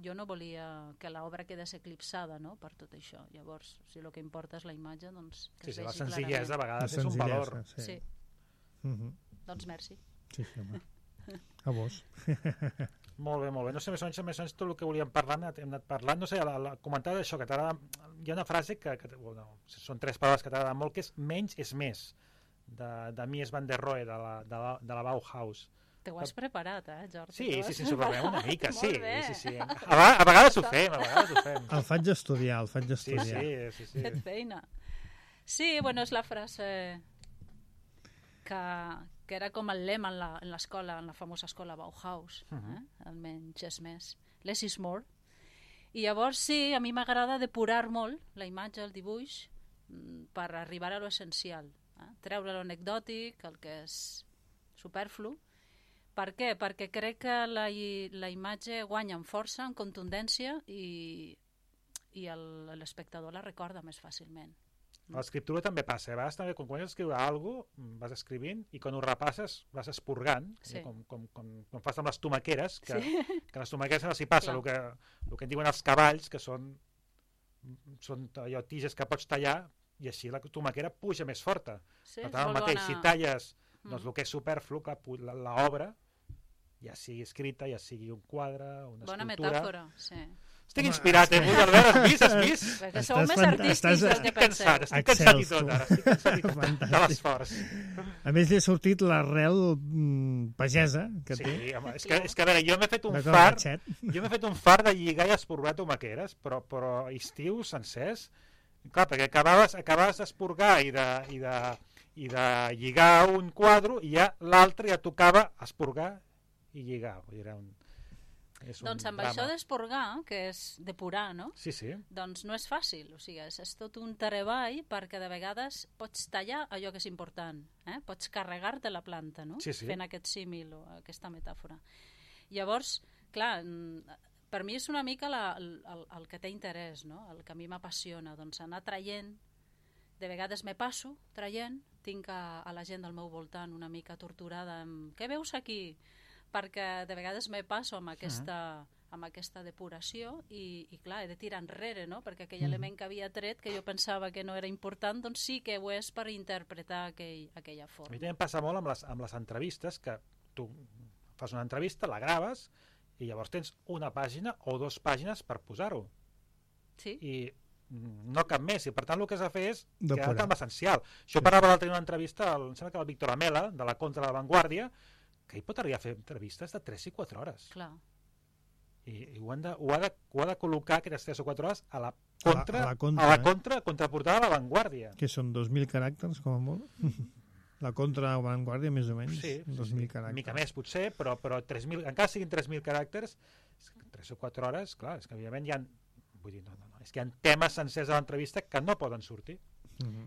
jo no volia que l'obra quedés eclipsada, no? Per tot això. Llavors, si el que importa és la imatge, doncs que es vegi clarament. La senzillesa a vegades és un valor. Sí. Doncs merci. Sí, home. A vos. Molt bé, molt bé. No sé, més o menys tot el que volíem parlar hem anat parlant. No sé, comentar això, que t'agrada... Hi ha una frase que són 3 paraules que t'agraden molt, que és menys és més, de Mies van der Rohe, de la Bauhaus. Te ho has preparat, Jordi? Sí, ens ho preparem una mica, sí. A vegades ho fem, El faig estudiar, Sí. Fet feina. Sí, bueno, és la frase que era com el lema en l'escola, en la famosa escola Bauhaus, el menys és més, less is more. I llavors sí, a mi m'agrada depurar molt la imatge, el dibuix, per arribar a l'essencial, treure l'anecdòtic, el que és superflu. Per què? Perquè crec que la imatge guanya en força, en contundència i l'espectador la recorda més fàcilment. A l'escriptura també passa, a vegades també quan comences a escriure alguna cosa, vas escrivint i quan ho repasses vas expurgant, com fas amb les tomaqueres, que les tomaqueres no s'hi passa, el que en diuen els cavalls, que són allò tiges que pots tallar i així la tomaquera puja més forta. Per tant, el mateix, si talles el que és superflu, l'obra, ja sigui escrita, ja sigui un quadre, una escultura... Bona metàfora, sí. Estic inspirat, Albert, has vist? Perquè sou més artístics del que penseu. Estic cansat i tot, ara. Estic cansat i tot de l'esforç. A més, li ha sortit l'arrel pagesa que té. Sí, home, és que a veure, jo m'he fet un fart de lligar i esporgar tomaqueres, però estius sencers, clar, perquè acabaves d'esporgar i de lligar un quadre i ja l'altre ja tocava esporgar i lligar. Era un... Doncs amb això d'esporgar, que és depurar, no? Sí. Doncs no és fàcil, o sigui, és tot un treball perquè de vegades pots tallar allò que és important, pots carregar-te la planta, no? Fent aquest símil o aquesta metàfora. Llavors, clar, per mi és una mica el que té interès, no? El que a mi m'apassiona, doncs anar traient, de vegades me passo traient, tinc a la gent del meu voltant una mica torturada amb què veus aquí? Perquè de vegades me passo amb aquesta depuració i clar, he de tirar enrere, no? Perquè aquell element que havia tret, que jo pensava que no era important, doncs sí que ho és per interpretar aquella forma. A mi també em passa molt amb les entrevistes, que tu fas una entrevista, la graves, i llavors tens una pàgina o 2 pàgines per posar-ho. Sí. I no cap més, i per tant el que has de fer és quedar-te amb l'essencial. Jo parlava l'altre dia una entrevista, em sembla que el Víctor Amela, de la Contra de la Vanguardia, que hi pot arribar a fer entrevistes de 3 i 4 hores. Clar. I ho ha de col·locar aquestes 3 o 4 hores a la contraportada de la Vanguardia. Que són 2.000 caràcters, com a molt? La Contra de la Vanguardia, més o menys. Sí, 2.000 caràcters. Una mica més, potser, però 3.000, encara siguin 3.000 caràcters, 3 o 4 hores, clar, és que evidentment hi ha... Vull dir, no, és que hi ha temes sencers a l'entrevista que no poden sortir.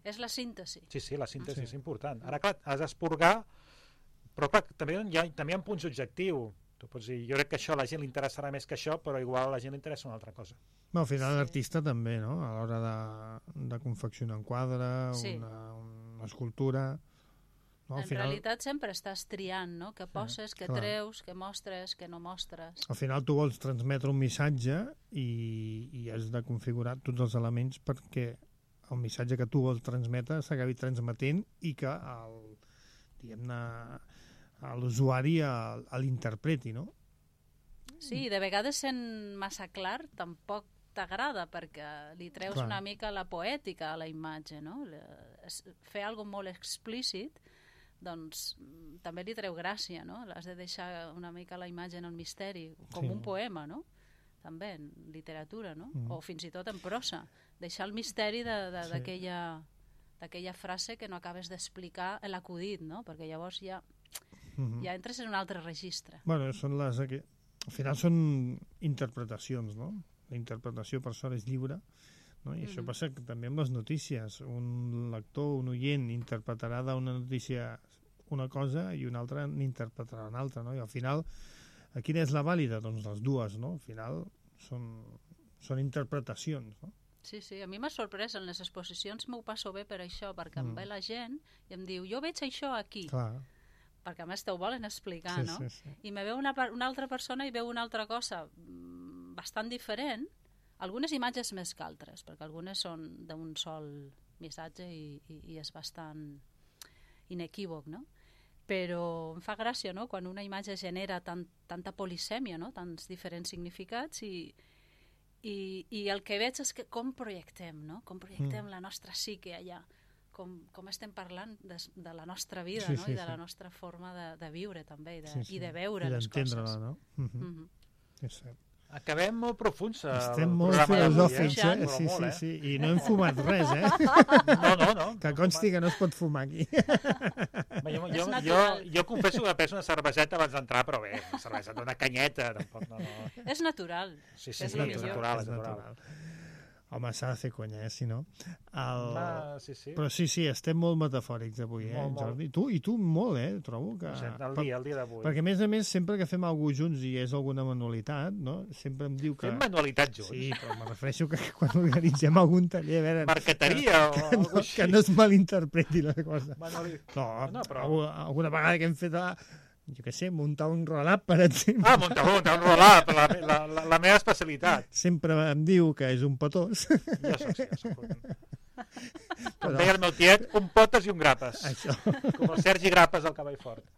És la síntesi. Sí, la síntesi és important. Ara, clar, has d'esporgar, però clar, també hi ha punts objectius. Tu pots dir, jo crec que això a la gent li interessarà més que això, però igual a la gent li interessa una altra cosa. Al final l'artista també, no? A l'hora de confeccionar un quadre, una escultura... No, en realitat sempre estàs triant, no? Que poses, que treus, que mostres, que no mostres. Al final tu vols transmetre un missatge i has de configurar tots els elements perquè el missatge que tu vols transmetre s'acabi transmetent i que l'usuari l'interpreti, no? Sí, de vegades sent massa clar tampoc t'agrada perquè li treus una mica la poètica a la imatge, no? Fer alguna molt explícit doncs també li treu gràcia, no? Has de deixar una mica la imatge en el misteri, com un poema, no? També en literatura, no? O fins i tot en prosa. Deixar el misteri d'aquella frase que no acabes d'explicar l'acudit, no? Perquè llavors ja entres en un altre registre. Bueno, al final són interpretacions, no? La interpretació per sort és lliure, no? I això passa també amb les notícies. Un lector, un oient, interpretarà d'una notícia una cosa i un altre n'interpretarà una altra, no? I al final, quina és la vàlida? Doncs les dues, no? Al final són interpretacions, no? Sí, a mi m'ha sorprès, en les exposicions m'ho passo bé per això, perquè em ve la gent i em diu, jo veig això aquí. Clar. Perquè a més t'ho volen explicar, no? Sí. I me veu una altra persona i veu una altra cosa bastant diferent, algunes imatges més que altres, perquè algunes són d'un sol missatge i és bastant inequívoc, no? Però em fa gràcia, no?, quan una imatge genera tanta polisèmia, no?, tants diferents significats i el que veig és que com projectem, no?, com projectem la nostra psique allà, com estem parlant de la nostra vida, no?, i de la nostra forma de viure també i de veure les coses. I d'entendre-la, no? És cert. Acabem molt profuns. Estem molt filosòfics, sí. I no hem fumat res, No. Que consti que no es pot fumar aquí. Jo confesso que penso una cerveseta abans d'entrar, però bé, una cerveseta, una canyeta, tampoc, no. És natural. Sí, és natural. Home, s'ha de fer conya, si no? Sí. Però sí, estem molt metafòrics avui, Jordi? I tu molt, trobo que... El dia d'avui. Perquè, a més, sempre que fem alguna cosa junts i és alguna manualitat, no? Sempre em diu que... Fem manualitat junts? Sí, però me refereixo que quan organitzem algun taller... Marqueteria o alguna cosa que no es malinterpreti la cosa. No, però... Alguna vegada que hem fet... Jo què sé, muntar un roll-up, per exemple. Muntar un roll-up, la meva especialitat. Sempre em diu que és un petós. Jo soc un... Com deia el meu tiet, un potes i un grapes. Això. Com el Sergi Grapes del Cavall Fort.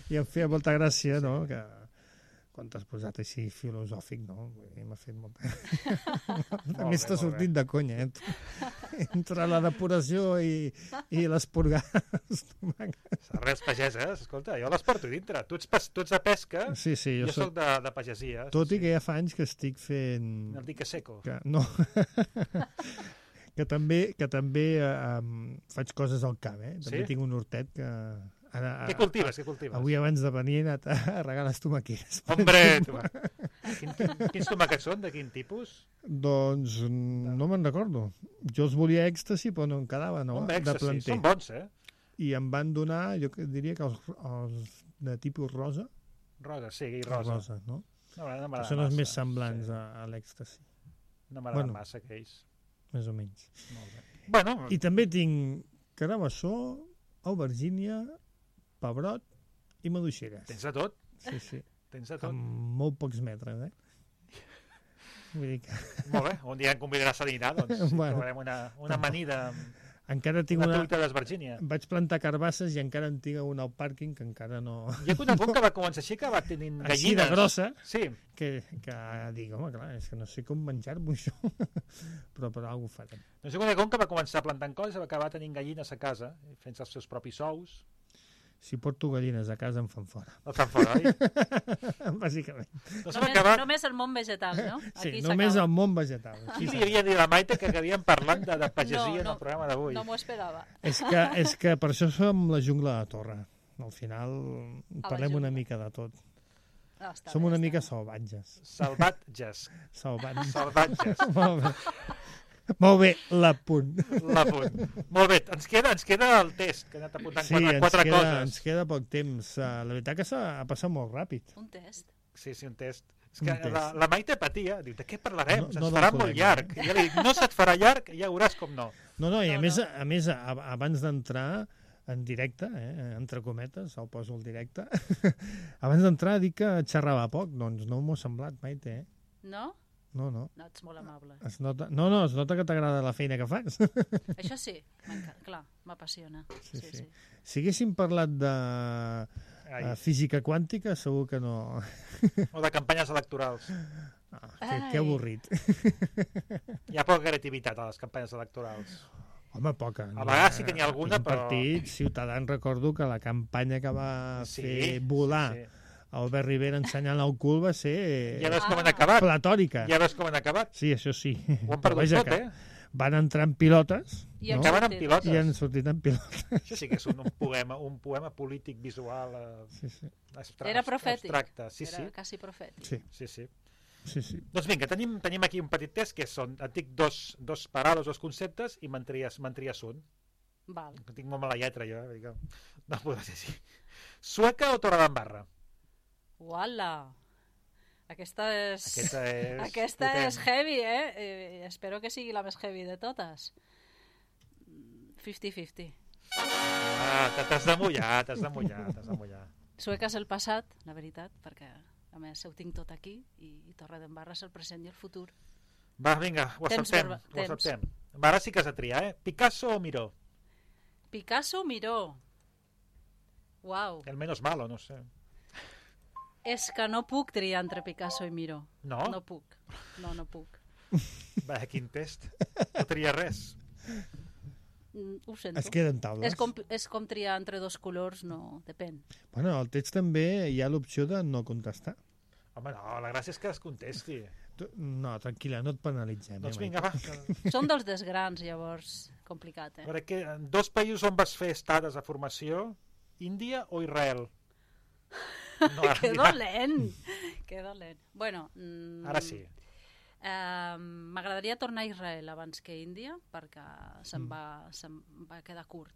I em feia molta gràcia, no?, que quan t'has posat així filosòfic, no? M'ha fet molta... A més t'ha sortit de conya, entre la depuració i l'esporgar els tomàquets. Arrels pageses, escolta, jo les porto dintre. Tu ets de pesca, jo soc de pagesia. Tot i que ja fa anys que estic fent... El dique seco. No. que també faig coses al camp, També tinc un hortet que... Què cultives? Avui abans de venir he anat a regar les tomaqueres. Hombre! Quins tomàquets són? De quin tipus? Doncs no me'n recordo. Jo els volia èxtasi, però no em quedava, no? De planter. Són bons, I em van donar, jo diria que els de tipus rosa. Rosa, sí, rosa. Rosa, no? No són els més semblants a l'èxtasi. No m'agrada massa, aquells. Més o menys. Molt bé. Bueno. I també tinc carabassó, aubergínia, pebrot i maduixeres. Tens de tot? Sí. Tens de tot. Amb molt pocs metres, Vull dir que... Molt bé, un dia em convidaràs a dinar, doncs trobarem una amanida encara tinc una truita d'Esvergínia. Vaig plantar carbasses i encara en tinc una al pàrquing que encara no... Hi ha un punt que va començar així, que va tenint gallines. Així de grossa, sí. que dic, home, clar, és que no sé com menjar-m'ho això, però per alguna cosa farem. No sé com que va començar plantant coses i va acabar tenint gallines a casa, fent els seus propis ous. Si porto gallines a casa em fan fora. El fan fora, oi? Bàsicament. Només el món vegetal, no? Sí, només el món vegetal. Aquí li havia dit a la Maite que havíem parlant de pagesia en el programa d'avui. No m'ho esperava. És que per això som la jungla de la Torre. Al final parlem una mica de tot. Som una mica salvatges. Salvatges. Salvatges. Molt bé, l'apunt. Molt bé, ens queda el test, que he anat apuntant quatre coses. Ens queda poc temps. La veritat que s'ha passat molt ràpid. Un test? Sí, un test. És que la Maite patia, diu, de què parlarem? Se'ns farà molt llarg. I ja li dic, no se't farà llarg, ja veuràs com no. No, i a més, abans d'entrar en directe, entre cometes, el poso al directe, abans d'entrar dic que xerrava poc, doncs no m'ho ha semblat, Maite, No? No. No, ets molt amable. Es nota que t'agrada la feina que fas. Això sí, clar, m'apassiona. Sí. Si haguéssim parlat de física quàntica, segur que no... O de campanyes electorals. Que avorrit. Hi ha poca creativitat a les campanyes electorals. Home, poca. A vegades sí que n'hi ha alguna, però... Partit Ciutadans, recordo que la campanya que va fer volar... Albert Rivera ensenyant el cul va ser... Ja veus com han acabat. Platòrica. Ja veus com han acabat. Sí, això sí. Ho han perdut tot, Van entrar en pilotes. I acaben en pilotes. I han sortit en pilotes. Això sí que és un poema polític visual Era profètic. Abstracte. Era quasi profètic. Sí. Doncs vinga, tenim aquí un petit test que són, et dic dos paraules, dos conceptes i me'n tries un. Val. Tinc molt mala lletra jo, no podrà ser així. Sueca o Torredembarra? Uala! Aquesta és heavy, espero que sigui la més heavy de totes. 50-50. T'has de mullar. Sueca és el passat, la veritat, perquè a més ho tinc tot aquí i Torredembarra és el present i el futur. Va, vinga, ho acceptem. Ara sí que has de triar, Picasso o Miró? Picasso o Miró? Uau. El menos malo, no sé. És que no puc triar entre Picasso i Miró. No? No puc. No puc. Va, quin test. No tria res. Ho sento. Es queden taules. És com triar entre dos colors, no, depèn. Bueno, al text també hi ha l'opció de no contestar. Home, no, la gràcia és que es contesti. No, tranquil·la, no et penalitzem. Doncs vinga, va. Són dels desgrans, llavors, complicat, A veure, en dos països on vas fer estades de formació, Índia o Israel? No, que dolent. Bueno, ara sí. M'agradaria tornar a Israel abans que Índia, perquè se'm va quedar curt.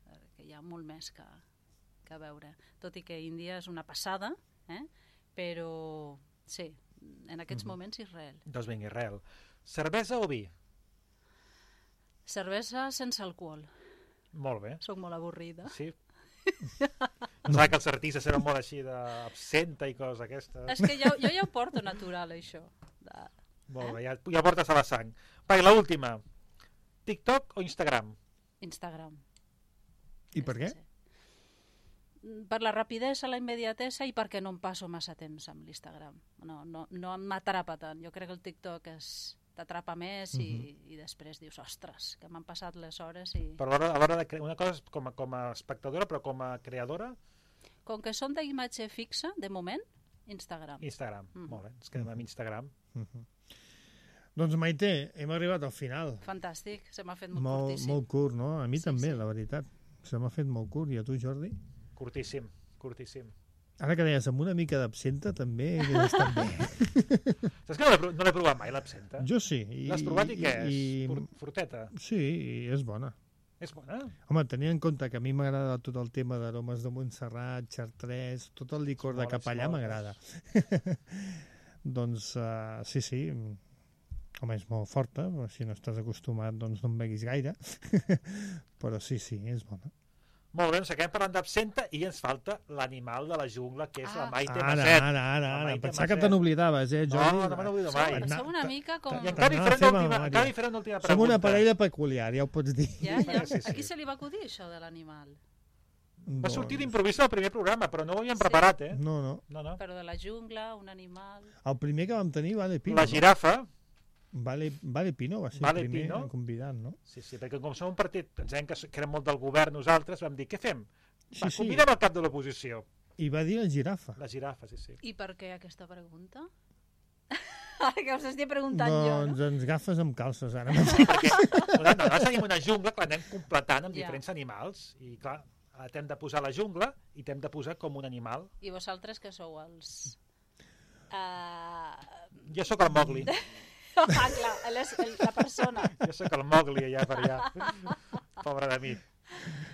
Perquè hi ha molt més que veure. Tot i que Índia és una passada, però sí, en aquests moments Israel. Doncs vinga, Israel. Cervesa o vi? Cervesa sense alcohol. Molt bé. Soc molt avorrida. Sí. Pensava que els artistes eren molt així d'absenta i coses aquestes. És que jo ja ho porto natural, això. Molt bé, ja portes a la sang. Va, i l'última. TikTok o Instagram? Instagram. I per què? Per la rapidesa, la immediatesa i perquè no em passo massa temps amb l'Instagram. No m'atrapa tant. Jo crec que el TikTok t'atrapa més i després dius, ostres, que m'han passat les hores i... Però a l'hora de crear una cosa com a espectadora, però com a creadora? Com que som d'imatge fixa, de moment, Instagram. Molt bé, ens quedem amb Instagram. Doncs Maite, hem arribat al final. Fantàstic, se m'ha fet molt curtíssim. Molt curt, no? A mi també, la veritat. Se m'ha fet molt curt. I a tu, Jordi? Curtíssim. Ara que deies, amb una mica d'absenta també hauria estat bé. Saps que no l'he provat mai, l'absenta? Jo sí. L'has provat i què és? Fruteta? Sí, és bona. És bona? Home, tenint en compte que a mi m'agrada tot el tema d'aromes de Montserrat, Chartres, tot el licor de capellà m'agrada. Doncs sí. Home, és molt forta, si no estàs acostumat doncs no en beguis gaire, però sí, és bona. Molt bé, doncs acabem parlant d'absenta i ens falta l'animal de la jungla, que és la Maite Maset. Ara. Pensava que te n'oblidaves, Jordi? No me n'oblido mai. Som una mica com... I encara hi faré una última pregunta. Som una parella peculiar, ja ho pots dir. Ja. A qui se li va acudir això de l'animal? Va sortir d'improvís al primer programa, però no ho havíem preparat, eh? No. Però de la jungla, un animal... El primer que vam tenir, Vale Pino. La girafa. Vale Pino va ser el primer convidat, no? Sí, perquè com som un partit, pensem que érem molt del govern nosaltres, vam dir, què fem? Convidem el cap de l'oposició. I va dir la girafa. La girafa, sí. I per què aquesta pregunta? Ara que us estic preguntant jo, no? Doncs ens agafes amb calces, ara. Perquè nosaltres tenim una jungla que l'anem completant amb diferents animals, i clar, t'hem de posar la jungla i t'hem de posar com un animal. I vosaltres que sou els... Jo sóc el Mowgli. Clar, la persona. Jo sóc el Mowgli allà per allà. Pobre de mi.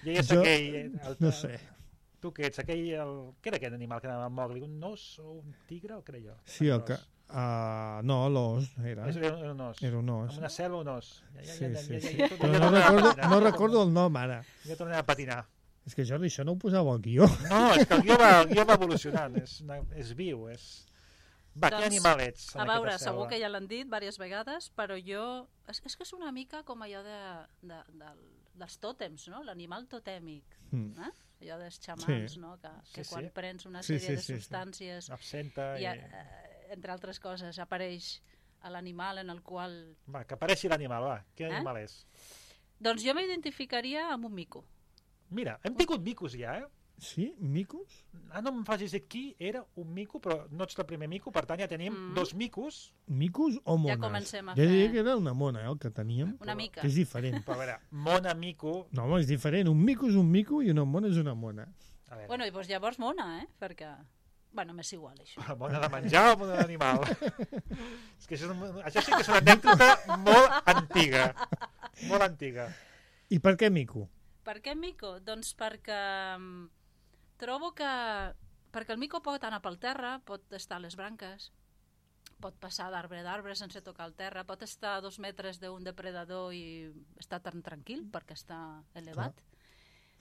Jo ja sóc aquell... No sé. Tu què ets? Què era aquest animal que anava al Mowgli? Un os o un tigre o què era jo? Sí, no, l'os era. Era un os. Era un os. Amb una cel·la o un os. Sí. Però no recordo el nom ara. Ja tornem a patinar. És que, Jordi, això no ho posava al guió. No, és que el guió va evolucionant. És viu, és... Va, quin animal ets? A veure, segur que ja l'han dit diverses vegades, però jo... És que és una mica com allò dels tòtems, no? L'animal totèmic. Allò dels xamans, no? Que quan prens una sèrie de substàncies... Absenta i... Entre altres coses, apareix l'animal en el qual... Va, que apareixi l'animal, va. Quin animal és? Doncs jo m'identificaria amb un mico. Mira, hem tingut micos ja, eh? Sí? Micos? No em facis dir qui era un mico, però no ets el primer mico, per tant ja tenim 2 micos. Micos o mones? Ja comencem a fer... Jo diria que era una mona, el que teníem. Una mica. Que és diferent. Però a veure, mona, mico... No, home, és diferent. Un mico és un mico i una mona és una mona. Bueno, i doncs llavors mona, perquè... Bueno, m'és igual, això. Mona de menjar o mona d'animal? És que això sí que és una anècdota molt antiga. Molt antiga. I per què mico? Per què mico? Doncs perquè trobo que... Perquè el mico pot anar pel terra, pot estar a les branques, pot passar d'arbre a arbre sense tocar el terra, pot estar a 2 metres d'un depredador i estar tan tranquil perquè està elevat. Clar.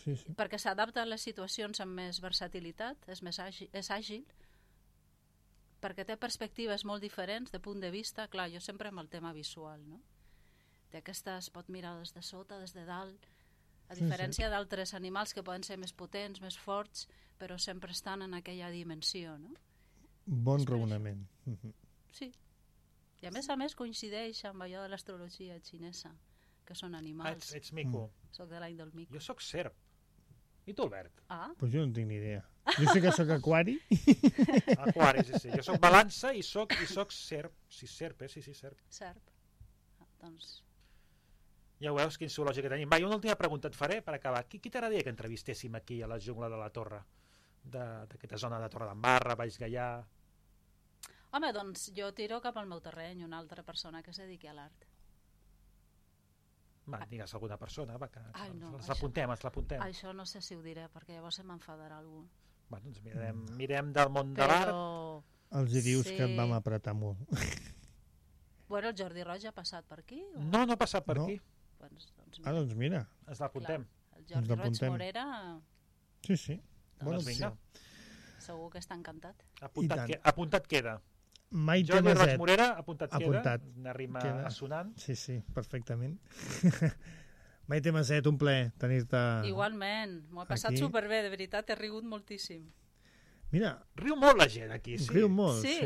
Sí. Perquè s'adapta a les situacions amb més versatilitat, és àgil, perquè té perspectives molt diferents de punt de vista. Clar, jo sempre amb el tema visual, no? Es pot mirar des de sota, des de dalt, a diferència d'altres animals que poden ser més potents, més forts, però sempre estan en aquella dimensió, no? Bon raonament. Sí. I a més coincideix amb allò de l'astrologia xinesa, que són animals. Ets mico. Soc de l'any del mico. Jo soc serp. I tu, Albert? Pues jo no tinc ni idea. Jo sé que soc aquari. Aquari, sí. Jo soc balança i soc serp. Sí, serp, sí, serp. Serp. Doncs... Ja ho veus, quin zoològic que tenim. Va, i una última pregunta et faré per acabar. Qui t'agradaria que entrevistéssim aquí a la jungla de la Torre? D'aquesta zona de Torre d'Embarra, Baix Gaià... Home, doncs jo tiro cap al meu terreny una altra persona que es dediqui a l'art. Va, digues alguna persona, va, que ens l'apuntem. Això no sé si ho diré, perquè llavors se m'enfadarà algú. Va, doncs mirem del món de l'art. Els dius que et vam apretar molt. Bueno, el Jordi Roig ha passat per aquí? No ha passat per aquí. Doncs mira. Ens l'apuntem. El Jordi Roig Morera... Sí. Doncs vinga. Segur que està encantat. Apuntat queda. Maite Jordi Maset. Roig Morera, apuntat queda. Una rima assonant. Sí, perfectament. Maite Maset, un plaer tenir-te Igualment, m'ho he passat superbé, de veritat, he rigut moltíssim. Mira, riu molt la gent aquí, sí. Riu molt, sí.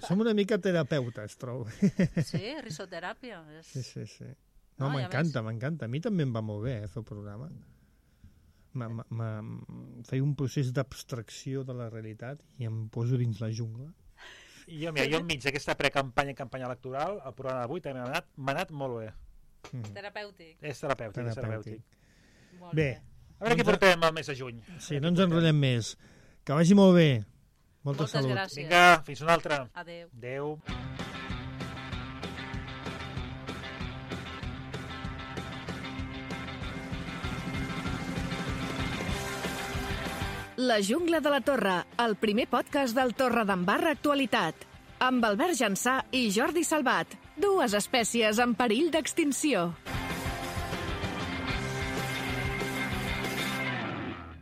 Som una mica terapeutes, trobo. Sí, risoteràpia. Sí. No, m'encanta. A mi també em va molt bé fer el programa. Feia un procés d'abstracció de la realitat i em poso dins la jungla. I jo enmig d'aquesta precampanya i campanya electoral, el programa d'avui també m'ha anat molt bé. Terapèutic. És terapèutic. Molt bé. A veure què portem el mes de juny. Sí, no ens enrotllem més. Que vagi molt bé. Molta salut. Moltes gràcies. Vinga, fins una altra. Adéu. Adéu. La jungla de la Torre, el primer podcast del Torredembarra Actualitat. Amb Albert Jansà i Jordi Salvat, dues espècies en perill d'extinció.